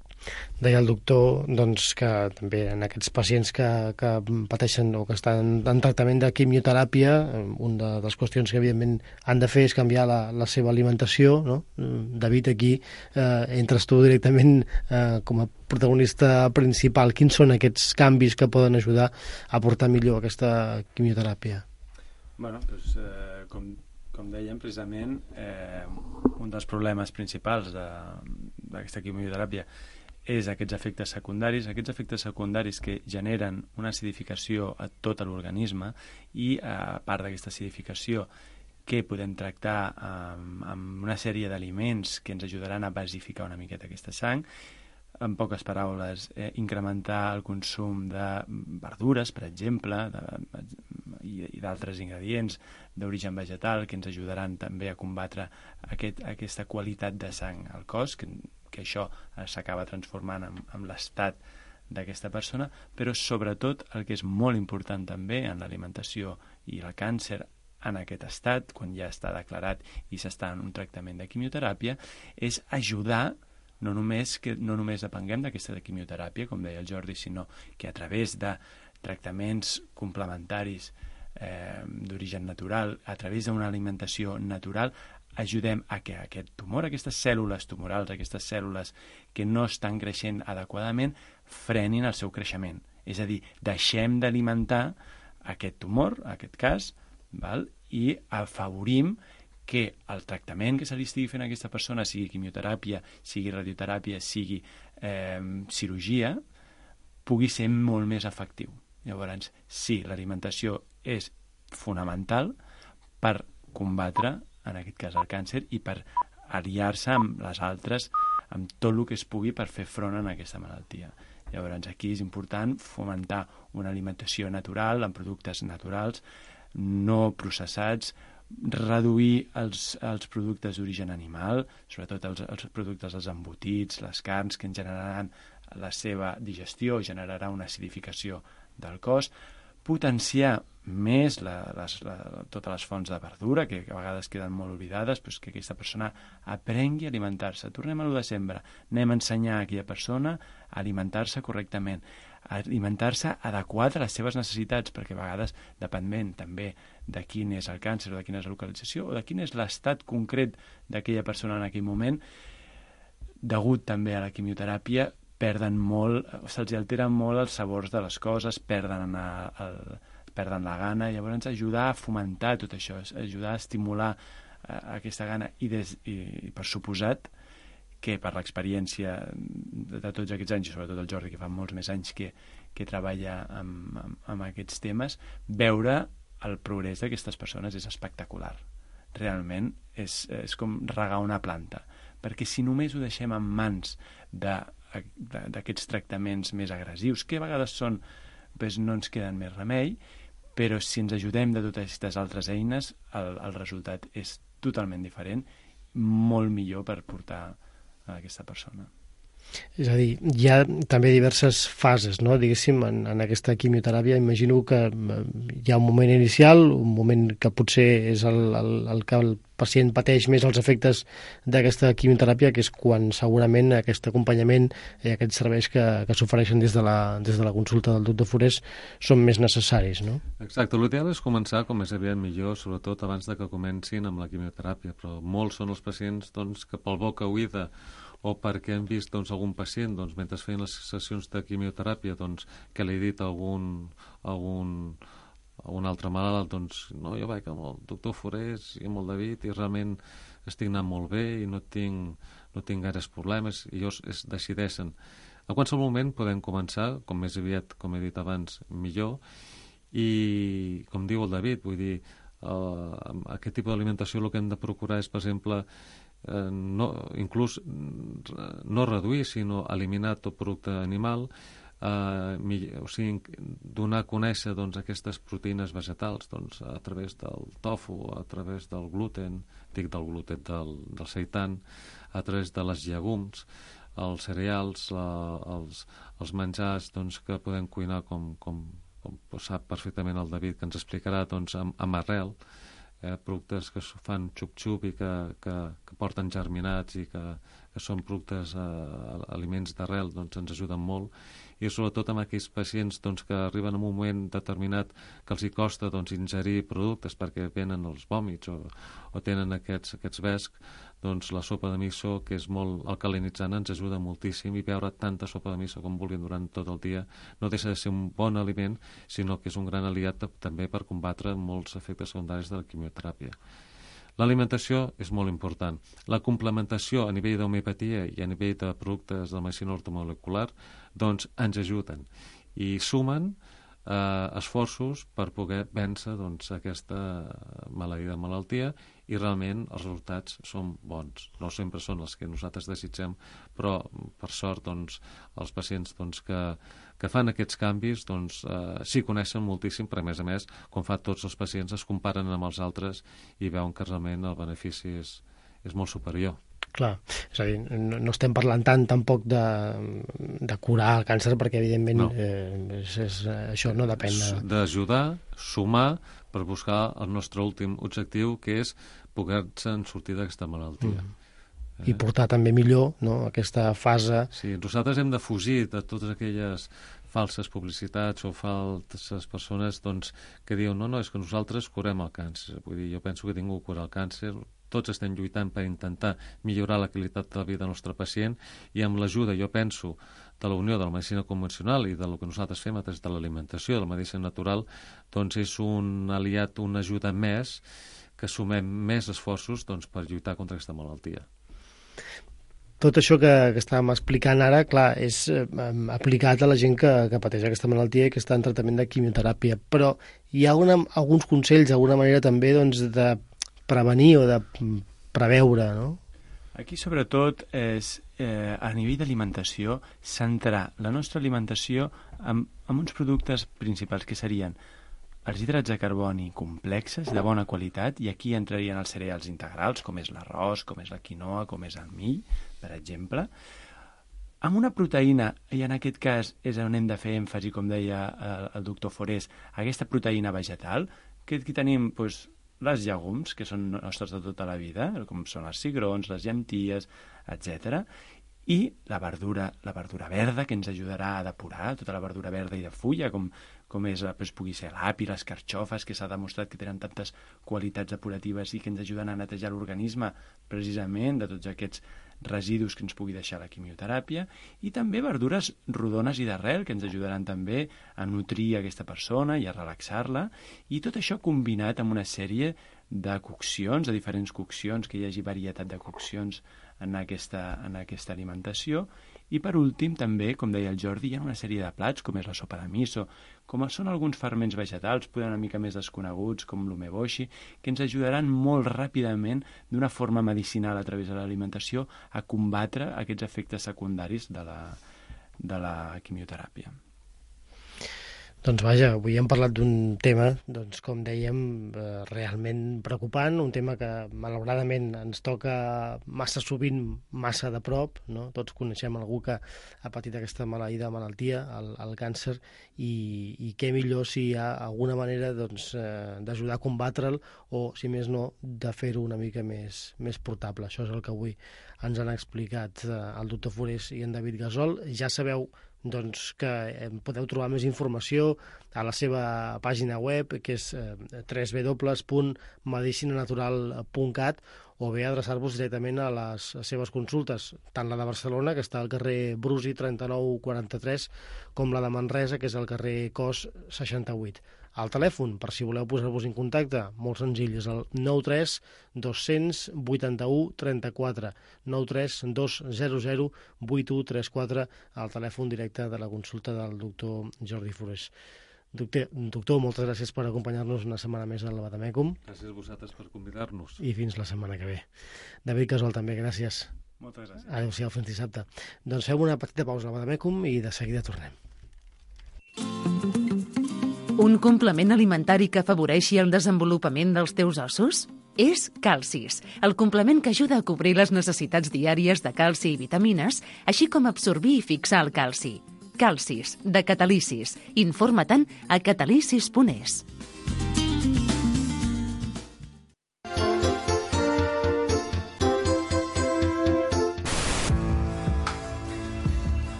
S10: Deia el doctor doncs, que també en aquests pacients que, que pateixen o que estan en tractament de quimioteràpia, una de les qüestions que evidentment han de fer és canviar la, la seva alimentació, no? David, aquí eh, entres tu directament eh, com a protagonista principal. Quins són aquests canvis que poden ajudar a portar millor aquesta quimioteràpia?
S11: Bueno, doncs, eh, com, com dèiem, precisament eh, un dels problemes principals d'aquesta quimioteràpia és aquests efectes secundaris, aquests efectes secundaris que generen una acidificació a tot l'organisme i, a part d'aquesta acidificació, que podem tractar amb, amb una sèrie d'aliments que ens ajudaran a basificar una miqueta aquesta sang, en poques paraules, eh, incrementar el consum de verdures, per exemple, de, i, i d'altres ingredients d'origen vegetal que ens ajudaran també a combatre aquest, aquesta qualitat de sang al cos, que, que això s'acaba transformant en, en l'estat d'aquesta persona, però sobretot el que és molt important també en l'alimentació i el càncer en aquest estat, quan ja està declarat i s'està en un tractament de quimioteràpia, és ajudar no només que no només depenguem d'aquesta de quimioteràpia, com deia el Jordi, sinó que a través de tractaments complementaris eh, d'origen natural, a través d'una alimentació natural, ajudem a que aquest tumor, aquestes cèl·lules tumorals, aquestes cèl·lules que no estan creixent adequadament, frenin el seu creixement. És a dir, deixem d'alimentar aquest tumor, en aquest cas, val? I afavorim que el tractament que se li estigui fent a aquesta persona, sigui quimioteràpia, sigui radioteràpia, sigui eh, cirurgia, pugui ser molt més efectiu. Llavors, sí, l'alimentació és fonamental per combatre, en aquest cas, el càncer i per aliar-se amb les altres, amb tot el que es pugui per fer front a aquesta malaltia. Llavors, aquí és important fomentar una alimentació natural, amb productes naturals, no processats, reduir els, els productes d'origen animal, sobretot els, els productes dels embotits, les carns, que en generaran la seva digestió, generarà una acidificació del cos, potenciar més la, les, la, totes les fonts de verdura, que a vegades queden molt oblidades, però que aquesta persona aprengui a alimentar-se. Tornem a lo de sempre. Anem a ensenyar a aquella persona a alimentar-se correctament, a alimentar-se adequat a les seves necessitats, perquè a vegades, depenent també de quin és el càncer, o de quina és la localització, o de quin és l'estat concret d'aquella persona en aquell moment, degut també a la quimioteràpia, perden molt, se'ls alteren molt els sabors de les coses, perden, el, perden la gana, llavors ajudar a fomentar tot això, ajudar a estimular eh, aquesta gana i, des, i, i per suposat que per l'experiència de, de tots aquests anys, i sobretot el Jordi, que fa molts més anys que, que treballa amb, amb, amb aquests temes, veure el progrés d'aquestes persones és espectacular. Realment és, és com regar una planta, perquè si només ho deixem en mans d'aquests tractaments més agressius, que a vegades són, doncs no ens queden més remei, però si ens ajudem de totes aquestes altres eines, el, el resultat és totalment diferent, molt millor per portar a aquesta persona.
S10: És a dir, hi ha també diverses fases, no? Diguéssim, en, en aquesta quimioteràpia. Imagino que hi ha un moment inicial, un moment que potser és el, el, el que el pacient pateix més els efectes d'aquesta quimioteràpia, que és quan segurament aquest acompanyament i aquests serveis que, que s'ofereixen des, de la, des de la consulta del doctor Forés són més necessaris, no?
S9: Exacte, l'ideal és començar com més aviat millor, sobretot abans de que comencin amb la quimioteràpia, però molts són els pacients doncs, que pel boca oïda o perquè hem vist doncs, algun pacient doncs, mentre feien les sessions de quimioteràpia doncs, que li ha dit algun, algun, algun altre malalt, doncs, no, jo vaig amb el doctor Forés i amb el David i realment estic anant molt bé i no tinc, no tinc gaires problemes, i ells es decideixen. A qualsevol moment podem començar, com més aviat, com he dit abans, millor, i com diu el David, vull dir, eh, aquest tipus d'alimentació el que hem de procurar és, per exemple, Eh, no, inclús no reduir, sinó eliminar tot producte animal, eh, o sigui, donar a conèixer doncs, aquestes proteïnes vegetals doncs, a través del tofu, a través del gluten, dic del gluten, del, del seitan, a través de les llegums, els cereals, la, els, els menjars doncs, que podem cuinar com, com, com sap perfectament el David, que ens explicarà doncs, amb, amb arrel, Eh, productes que fan xup-xup i que, que, que porten germinats i que, que són productes, eh, aliments d'arrel, doncs ens ajuden molt, i sobretot amb aquells pacients doncs, que arriben en un moment determinat que els hi costa doncs, ingerir productes perquè venen els vòmits o, o tenen aquests, aquests vescs, doncs la sopa de miso, que és molt alcalinitzant, ens ajuda moltíssim, i beure tanta sopa de miso com vulguin durant tot el dia no deixa de ser un bon aliment, sinó que és un gran aliat també per combatre molts efectes secundaris de la quimioteràpia. L'alimentació és molt important. La complementació a nivell d'homeopatia i a nivell de productes de la medicina ortomolecular doncs ens ajuden i sumen eh, esforços per poder vèncer doncs, aquesta maleïda malaltia, i realment els resultats són bons. No sempre són els que nosaltres desitgem, però per sort doncs, els pacients doncs, que, que fan aquests canvis doncs, eh, s'hi coneixen moltíssim, però a més a més, com fa tots els pacients, es comparen amb els altres i veuen que realment el benefici és, és molt superior.
S10: Clar, és a dir, no, no estem parlant tant tampoc de, de curar el càncer, perquè evidentment no. eh, és, és, això no depèn de...
S9: D'ajudar, sumar, per buscar el nostre últim objectiu, que és poder-se'n sortir d'aquesta malaltia.
S10: Mm. I portar també millor, no?, aquesta fase...
S9: Sí, nosaltres hem de fugir de totes aquelles falses publicitats o falses persones doncs, que diuen no, no, és que nosaltres curem el càncer. Vull dir, jo penso que ningú cura el càncer, tots estem lluitant per intentar millorar la qualitat de la vida del nostre pacient, i amb l'ajuda, jo penso, de la unió de la medicina convencional i del que nosaltres fem a través de l'alimentació, de la medicina natural, doncs és un aliat, una ajuda més, que sumem més esforços doncs, per lluitar contra aquesta malaltia.
S10: Tot això que, que estàvem explicant ara, clar, és eh, aplicat a la gent que, que pateix aquesta malaltia i que està en tractament de quimioteràpia, però hi ha una, alguns consells, d'alguna manera també, doncs, de prevenir o de preveure, no?
S11: Aquí, sobretot, és, eh, a nivell d'alimentació, centrar la nostra alimentació en, en uns productes principals, que serien els hidrats de carboni complexes, de bona qualitat, i aquí entrarien els cereals integrals, com és l'arròs, com és la quinoa, com és el mill, per exemple, amb una proteïna, i en aquest cas és on hem de fer èmfasi, com deia el, el doctor Forés, aquesta proteïna vegetal, que aquí tenim doncs, les llegums, que són nostres de tota la vida, com són els cigrons, les llenties, etcètera, i la verdura, la verdura verda, que ens ajudarà a depurar, tota la verdura verda i de fulla, com, com és, doncs, pugui ser l'api, les carxofes, que s'ha demostrat que tenen tantes qualitats depuratives i que ens ajuden a netejar l'organisme precisament de tots aquests residus que ens pugui deixar la quimioteràpia, i també verdures rodones i d'arrel, que ens ajudaran també a nutrir aquesta persona i a relaxar-la, i tot això combinat amb una sèrie de coccions, de diferents coccions, que hi hagi varietat de coccions en aquesta, en aquesta alimentació, I per últim, també, com deia el Jordi, hi ha una sèrie de plats, com és la sopa de miso, com són alguns ferments vegetals, poder una mica més desconeguts, com l'umeboshi, que ens ajudaran molt ràpidament, d'una forma medicinal a través de l'alimentació, a combatre aquests efectes secundaris de la, de la quimioteràpia.
S10: Doncs vaja, avui hem parlat d'un tema, doncs, com dèiem, eh, realment preocupant, un tema que malauradament ens toca massa sovint, massa de prop, no? Tots coneixem algú que ha patit aquesta maleïda malaltia, el, el càncer, i, i què millor si hi ha alguna manera doncs, eh, d'ajudar a combatre'l o, si més no, de fer-ho una mica més, més portable. Això és el que avui ens han explicat eh, el doctor Forés i en David Gasol. Ja sabeu doncs, que podeu trobar més informació a la seva pàgina web, que és eh, w w w punt medicina natural punt cat, o bé adreçar-vos directament a les seves consultes, tant la de Barcelona, que està al carrer Brusi trenta-nou quaranta-tres, com la de Manresa, que és al carrer Cos seixanta-vuit. El telèfon, per si voleu posar-vos en contacte, molt senzill, és el nou tres dos cents vuitanta-u trenta-quatre, nou tres dos zero zero vuit u tres quatre, el telèfon directe de la consulta del doctor Jordi Forés. Doctor, doctor, moltes gràcies per acompanyar-nos una setmana més al Bademecum.
S9: Gràcies a vosaltres per convidar-nos.
S10: I fins la setmana que ve. David Gasol, també, gràcies.
S11: Moltes gràcies.
S10: Adéu-siau, fins dissabte. Doncs fem una petita pausa al Bademecum i de seguida tornem.
S1: Un complement alimentari que afavoreixi el desenvolupament dels teus ossos? És Calcis, el complement que ajuda a cobrir les necessitats diàries de calci i vitamines, així com absorbir i fixar el calci. Calcis, de Catalicis. Informa-te'n a catalicis punt es.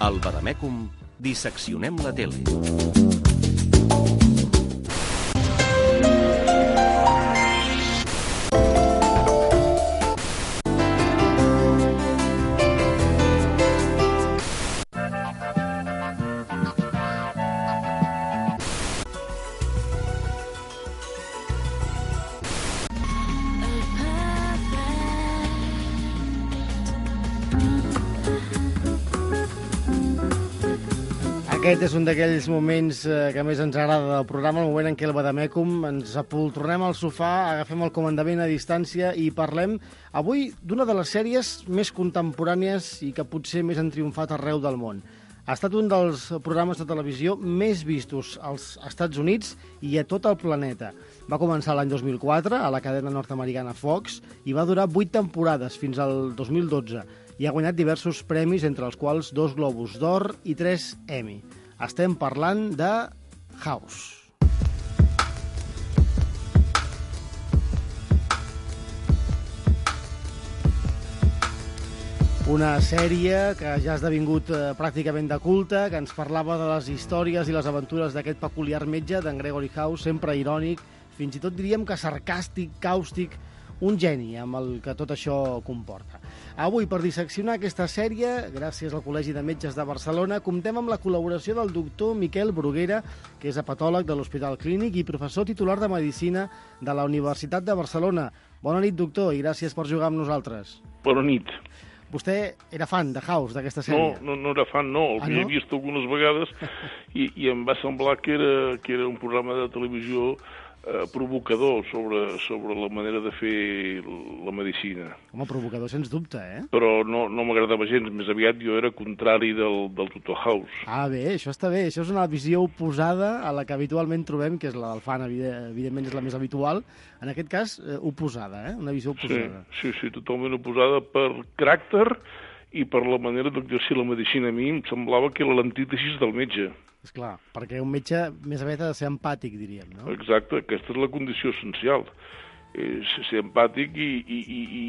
S6: Al Bademecum disseccionem la tele.
S7: Aquest és un d'aquells moments que més ens agrada del programa, el moment en què el Bademecum ens apoltronem al sofà, agafem el comandament a distància i parlem avui d'una de les sèries més contemporànies i que potser més han triomfat arreu del món. Ha estat un dels programes de televisió més vistos als Estats Units i a tot el planeta. Va començar l'any dos mil quatre a la cadena nord-americana Fox i va durar vuit temporades fins al dos mil dotze. I ha guanyat diversos premis, entre els quals dos Globus d'Or i tres Emmy. Estem parlant de House. Una sèrie que ja ha esdevingut eh, pràcticament de culte, que ens parlava de les històries i les aventures d'aquest peculiar metge, d'en Gregory House, sempre irònic, fins i tot diríem que sarcàstic, càustic, un geni amb el que tot això comporta. Avui, per disseccionar aquesta sèrie, gràcies al Col·legi de Metges de Barcelona, comptem amb la col·laboració del doctor Miquel Bruguera, que és hepatòleg de l'Hospital Clínic i professor titular de Medicina de la Universitat de Barcelona. Bona nit, doctor, i gràcies per jugar amb nosaltres.
S12: Bona nit.
S7: Vostè era fan de House, d'aquesta sèrie?
S12: No, no, no era fan, no. El ah, no? He vist algunes vegades i, i em va semblar que era, que era un programa de televisió eh, provocador sobre, sobre la manera de fer la medicina.
S7: Home, provocador sens dubte, eh?
S12: Però no, no m'agradava gens, més aviat jo era contrari del, del doctor House.
S7: Ah, bé, això està bé. Això és una visió oposada a la que habitualment trobem, que és la del fan, evidentment és la més habitual. En aquest cas, eh, oposada, eh? Una visió oposada.
S12: Sí, sí, sí, totalment oposada per caràcter i per la manera d'exercir la medicina. A mi em semblava que era l'antítesis del metge.
S7: Esclar, perquè un metge més aviat ha de ser empàtic, diríem, no?
S12: Exacte, aquesta és la condició essencial. És ser empàtic i, i, i, i,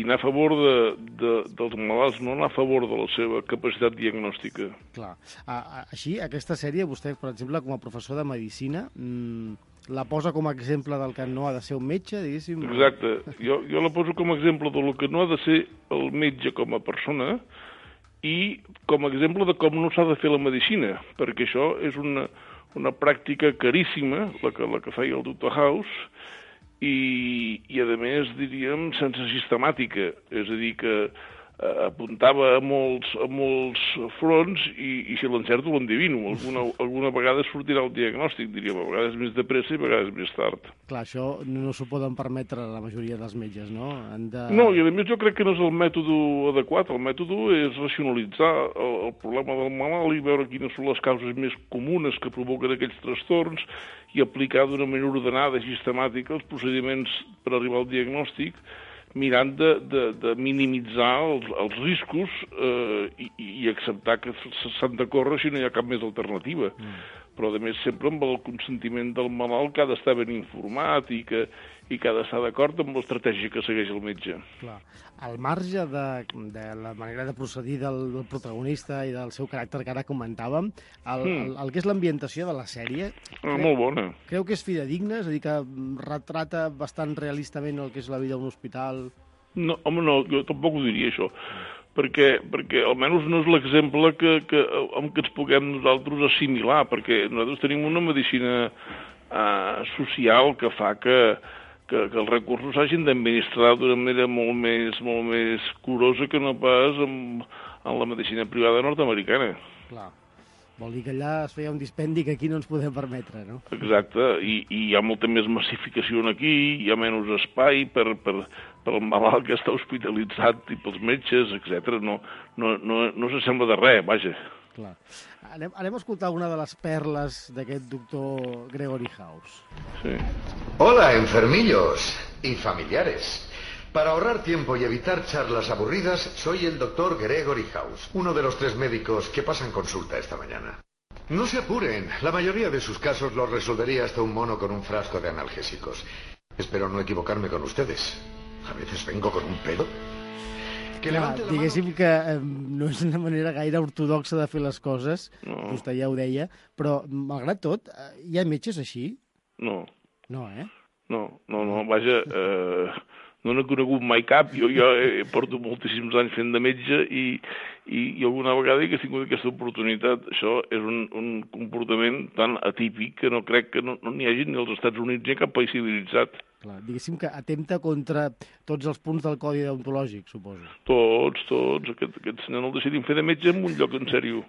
S12: i anar a favor de, de, dels malalts, no anar a favor de la seva capacitat diagnòstica.
S7: Clar. A, a, així, aquesta sèrie, vostè, per exemple, com a professor de medicina, mmm, la posa com a exemple del que no ha de ser un metge, diguéssim?
S12: Exacte. Jo, jo la poso com a exemple del que no ha de ser el metge com a persona i com a exemple de com no s'ha de fer la medicina, perquè això és una, una pràctica caríssima, la que, la que feia el doctor House, i, i a més, diríem, sense sistemàtica. És a dir, que apuntava a molts, a molts fronts i, i si l'encerto l'endivino. Alguna, alguna vegada sortirà el diagnòstic, diríem, a vegades més de pressa i a vegades més tard.
S7: Clar, això no s'ho poden permetre la majoria dels metges, no? Han de...
S12: No, i a més jo crec que no és el mètode adequat. El mètode és racionalitzar el, el problema del malalt i veure quines són les causes més comunes que provoquen aquells trastorns i aplicar d'una manera ordenada i sistemàtica els procediments per arribar al diagnòstic, mirant de, de, de minimitzar els, els riscos eh, i, i acceptar que s'han de córrer si no hi ha cap més alternativa. Mm. Però, a més, sempre amb el consentiment del malalt que ha d'estar ben informat i que, i que ha d'estar d'acord amb l'estratègia que segueix el metge.
S7: Clar. Al marge de, de la manera de procedir del, del protagonista i del seu caràcter que ara comentàvem, el, mm. el, el que és l'ambientació de la sèrie...
S12: Ah, creu, molt bona.
S7: Creu que és fidedigna? És a dir, que retrata bastant realistament el que és la vida a un hospital?
S12: No, home, no, jo tampoc ho diria, això. Perquè, perquè almenys no és l'exemple que, que, amb què ens puguem nosaltres assimilar, perquè nosaltres tenim una medicina eh, social que fa que, que, que els recursos s'hagin d'administrar d'una manera molt més, molt més curosa que no pas en, en la medicina privada nord-americana.
S7: Clar. Vol dir que allà es feia un dispendi que aquí no ens podem permetre, no?
S12: Exacte, i, i hi ha molta més massificació aquí, hi ha menys espai per, per, per el malalt que està hospitalitzat i pels metges, etcètera. No, no, no, no s'assembla de res, vaja.
S7: Clar. Anem, anem a escoltar una de les perles d'aquest doctor Gregory House.
S12: Sí.
S13: Hola, enfermillos y familiares. Para ahorrar tiempo y evitar charlas aburridas, soy el doctor Gregory House, uno de los tres médicos que pasan consulta esta mañana. No se apuren, la mayoría de sus casos los resolvería hasta un mono con un frasco de analgésicos. Espero no equivocarme con ustedes. A veces vengo con un pedo. Que
S7: Clar, diguéssim que eh, no és una manera gaire ortodoxa de fer les coses, no. Vostè ja ho deia, però malgrat tot, eh, hi ha metges així?
S12: No.
S7: No, eh?
S12: No, no, no, vaja... Eh... No n'he conegut mai cap, jo, jo porto moltíssims anys fent de metge i, i, i alguna vegada que he tingut aquesta oportunitat. Això és un, un comportament tan atípic que no crec que no n'hi no hagi ni als Estats Units ni a cap país civilitzat.
S7: Clar, diguéssim que atempta contra tots els punts del codi deontològic, suposo.
S12: Tots, tots. Aquest, aquest senyor no el decidim fer de metge en un lloc en sèrio.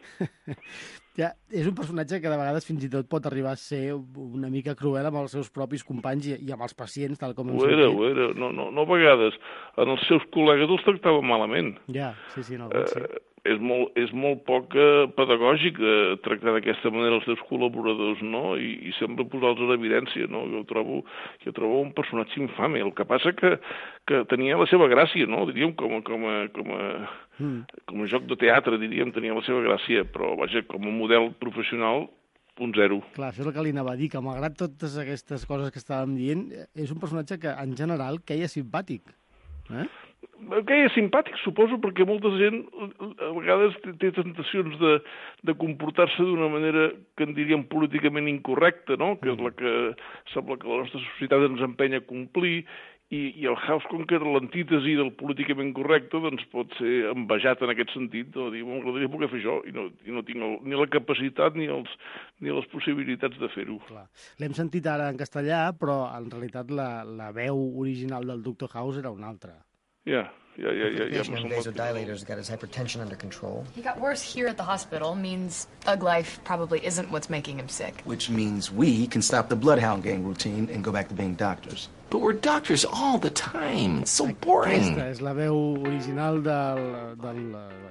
S7: Ja, és un personatge que de vegades fins i tot pot arribar a ser una mica cruel amb els seus propis companys i, i amb els pacients, tal com hem
S12: ho era, ho era. No, no, no a vegades. En els seus col·legues els tractava malament.
S7: Ja, sí, sí, no, sí.
S12: Eh, és molt, és molt poc eh, pedagògic eh, tractar d'aquesta manera els seus col·laboradors, no? I, i sempre posar-los en evidència, no? Jo trobo, jo trobo un personatge infame. El que passa que, que tenia la seva gràcia, no? Diríem, com a, com a, com a, mm. com a joc de teatre, diríem, tenia la seva gràcia, però, vaja, com a model professional, un zero.
S7: Clar, això és el que li anava a dir, que malgrat totes aquestes coses que estàvem dient, és un personatge que, en general, queia simpàtic. Eh?
S12: Que és simpàtic, suposo, perquè molta gent a vegades té tentacions de, de comportar-se d'una manera que en diríem políticament incorrecta, no? Que és la que sembla que la nostra societat ens empenya a complir, i, i el House, com que era l'antítesi del políticament correcte, doncs pot ser envejat en aquest sentit, de dir, m'agradaria poder fer això, i no, i no tinc el, ni la capacitat ni, els, ni les possibilitats de fer-ho.
S7: L'hem sentit ara en castellà, però en realitat la, la veu original del doctor House era una altra.
S12: Yeah, yeah, yeah, yeah. yeah.
S14: The vasodilator's got his hypertension under control.
S15: He got worse here at the hospital. Means Ug Life probably isn't what's making him sick.
S2: Which means we can stop the Bloodhound Gang routine and go back to being doctors. But we're doctors all the time. It's so boring.
S7: Aquesta és la veu original del, del,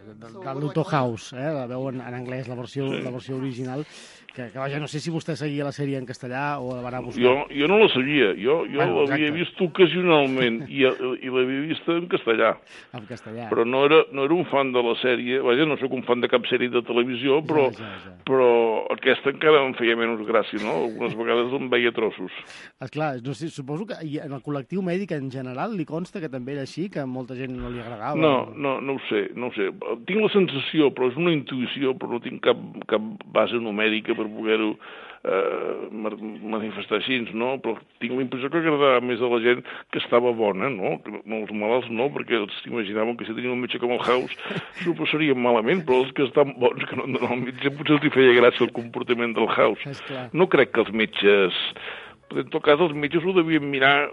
S7: del, del doctor House, eh? La veu en, en anglès, la versió, sí. la versió original. Que, que vaja, no sé si vostè seguia la sèrie en castellà o la va anar a buscar.
S12: Jo, jo no la seguia, jo, jo bueno, l'havia vist ocasionalment i, i l'havia vist en castellà.
S7: En castellà.
S12: Però no era, no era un fan de la sèrie, vaja, no soc un fan de cap sèrie de televisió, però, ja, ja, ja. però aquesta encara em feia menys gràcia, no? Algunes vegades em veia trossos.
S7: Esclar, no sé, suposo que en el col·lectiu mèdic en general li consta que també era així, que a molta gent no li agradava.
S12: No, no, no ho sé, no ho sé. Tinc la sensació, però és una intuïció, però no tinc cap, cap base numèrica per poder-ho eh, manifestar així, no? Però tinc la impressió que agradava més a la gent que estava bona, no? No els malalts no, perquè els imaginaven que si tenien un metge com el House s'ho passarien malament, però els que estan bons, que no han d'anar al metge, potser els hi feia gràcia el comportament del House. No crec que els metges... En tot cas, els metges ho devien mirar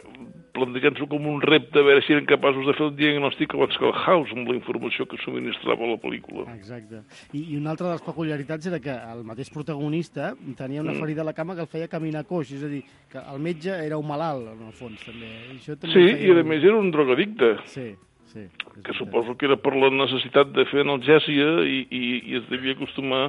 S12: plantejant-s'ho com un repte, a veure si eren capaços de fer el diagnòstic abans que el House, amb la informació que subministrava la pel·lícula.
S7: Exacte. I, I una altra de les peculiaritats era que el mateix protagonista tenia una ferida a la cama que el feia caminar coix, és a dir, que el metge era un malalt, en el fons, també. Això també
S12: Sí,
S7: feia...
S12: i a més era un drogadicte.
S7: Sí, sí.
S12: Que suposo que era per la necessitat de fer analgèsia i, i, i es devia acostumar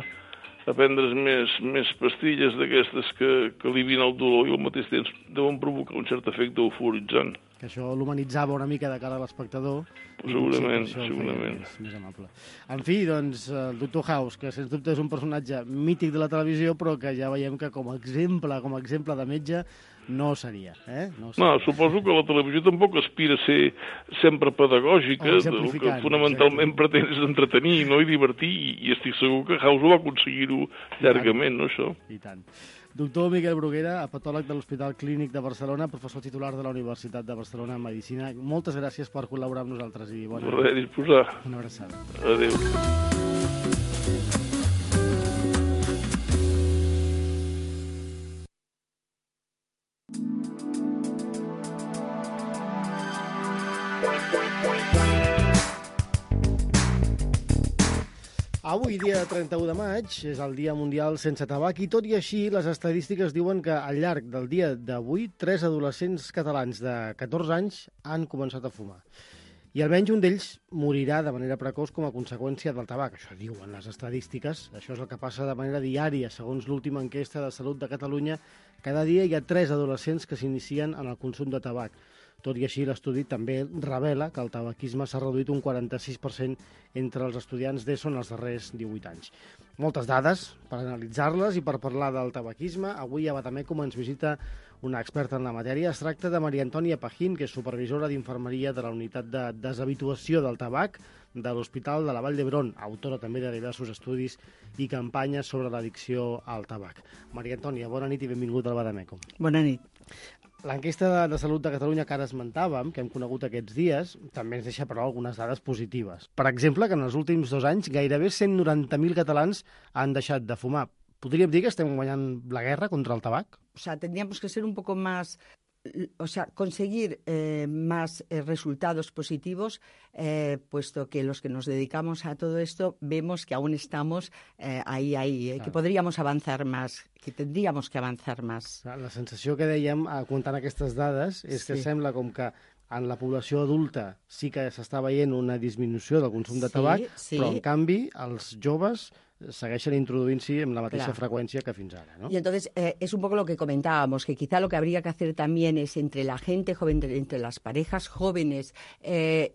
S12: a prendre's més, més pastilles d'aquestes que, que alivien el dolor i al mateix temps deuen provocar un cert efecte euforitzant.
S7: Que això l'humanitzava una mica de cara a l'espectador.
S12: Segurament,
S7: sí,
S12: segurament.
S7: Més, més amable. En fi, doncs, el doctor House, que sens dubte és un personatge mític de la televisió, però que ja veiem que com a exemple, com a exemple de metge, no seria. Eh? No, seria.
S12: No, suposo que la televisió tampoc aspira a ser sempre pedagògica, el que fonamentalment exacte. Pretén és entretenir, no? I divertir, i, i estic segur que House ho va aconseguir-ho llargament, no, això?
S7: I tant. Doctor Miquel Bruguera, hepatòleg de l'Hospital Clínic de Barcelona, professor titular de la Universitat de Barcelona en Medicina. Moltes gràcies per col·laborar amb nosaltres i bona
S12: nit. Res, disposar.
S7: Una abraçada.
S12: Adéu.
S7: Avui, dia trenta-u de maig, és el Dia Mundial Sense Tabac i tot i així les estadístiques diuen que al llarg del dia d'avui tres adolescents catalans de catorze anys han començat a fumar. I almenys un d'ells morirà de manera precoç com a conseqüència del tabac. Això diuen les estadístiques. Això és el que passa de manera diària. Segons l'última enquesta de Salut de Catalunya, cada dia hi ha tres adolescents que s'inicien en el consum de tabac. Tot i així, l'estudi també revela que el tabaquisme s'ha reduït un quaranta-sis per cent entre els estudiants d'ESO en els darrers divuit anys. Moltes dades per analitzar-les i per parlar del tabaquisme. Avui a Badamècum ens visita una experta en la matèria. Es tracta de Maria Antònia Pajín, que és supervisora d'infermeria de la unitat de deshabituació del tabac de l'Hospital de la Vall d'Hebron, autora també de diversos estudis i campanyes sobre l'addicció al tabac. Maria Antònia, bona nit i benvinguda al Badamècum.
S16: Bona nit.
S7: L'enquesta de, de Salut de Catalunya que ara esmentàvem, que hem conegut aquests dies, també ens deixa, però, algunes dades positives. Per exemple, que en els últims dos anys gairebé cent noranta mil catalans han deixat de fumar. ¿Podríem dir que estem guanyant la guerra contra el tabac?
S16: O sea, tendríamos que ser un poco más... O sea, conseguir eh, más eh, resultados positivos, eh, puesto que los que nos dedicamos a todo esto vemos que aún estamos eh, ahí, ahí, eh, claro. Que podríamos avanzar más, que tendríamos que avanzar más.
S7: La sensació que dèiem, comptant aquestes dades, és que sí. Sembla com que en la població adulta sí que s'està veient una disminució del consum de tabac, sí, sí. Però en canvi els joves segueixen introduint-s'hi amb la mateixa claro. Frecuencia que fins ara, ¿no?
S16: Y entonces eh, es un poco lo que comentábamos, que quizá lo que habría que hacer también es entre la gente joven, entre las parejas jóvenes, eh,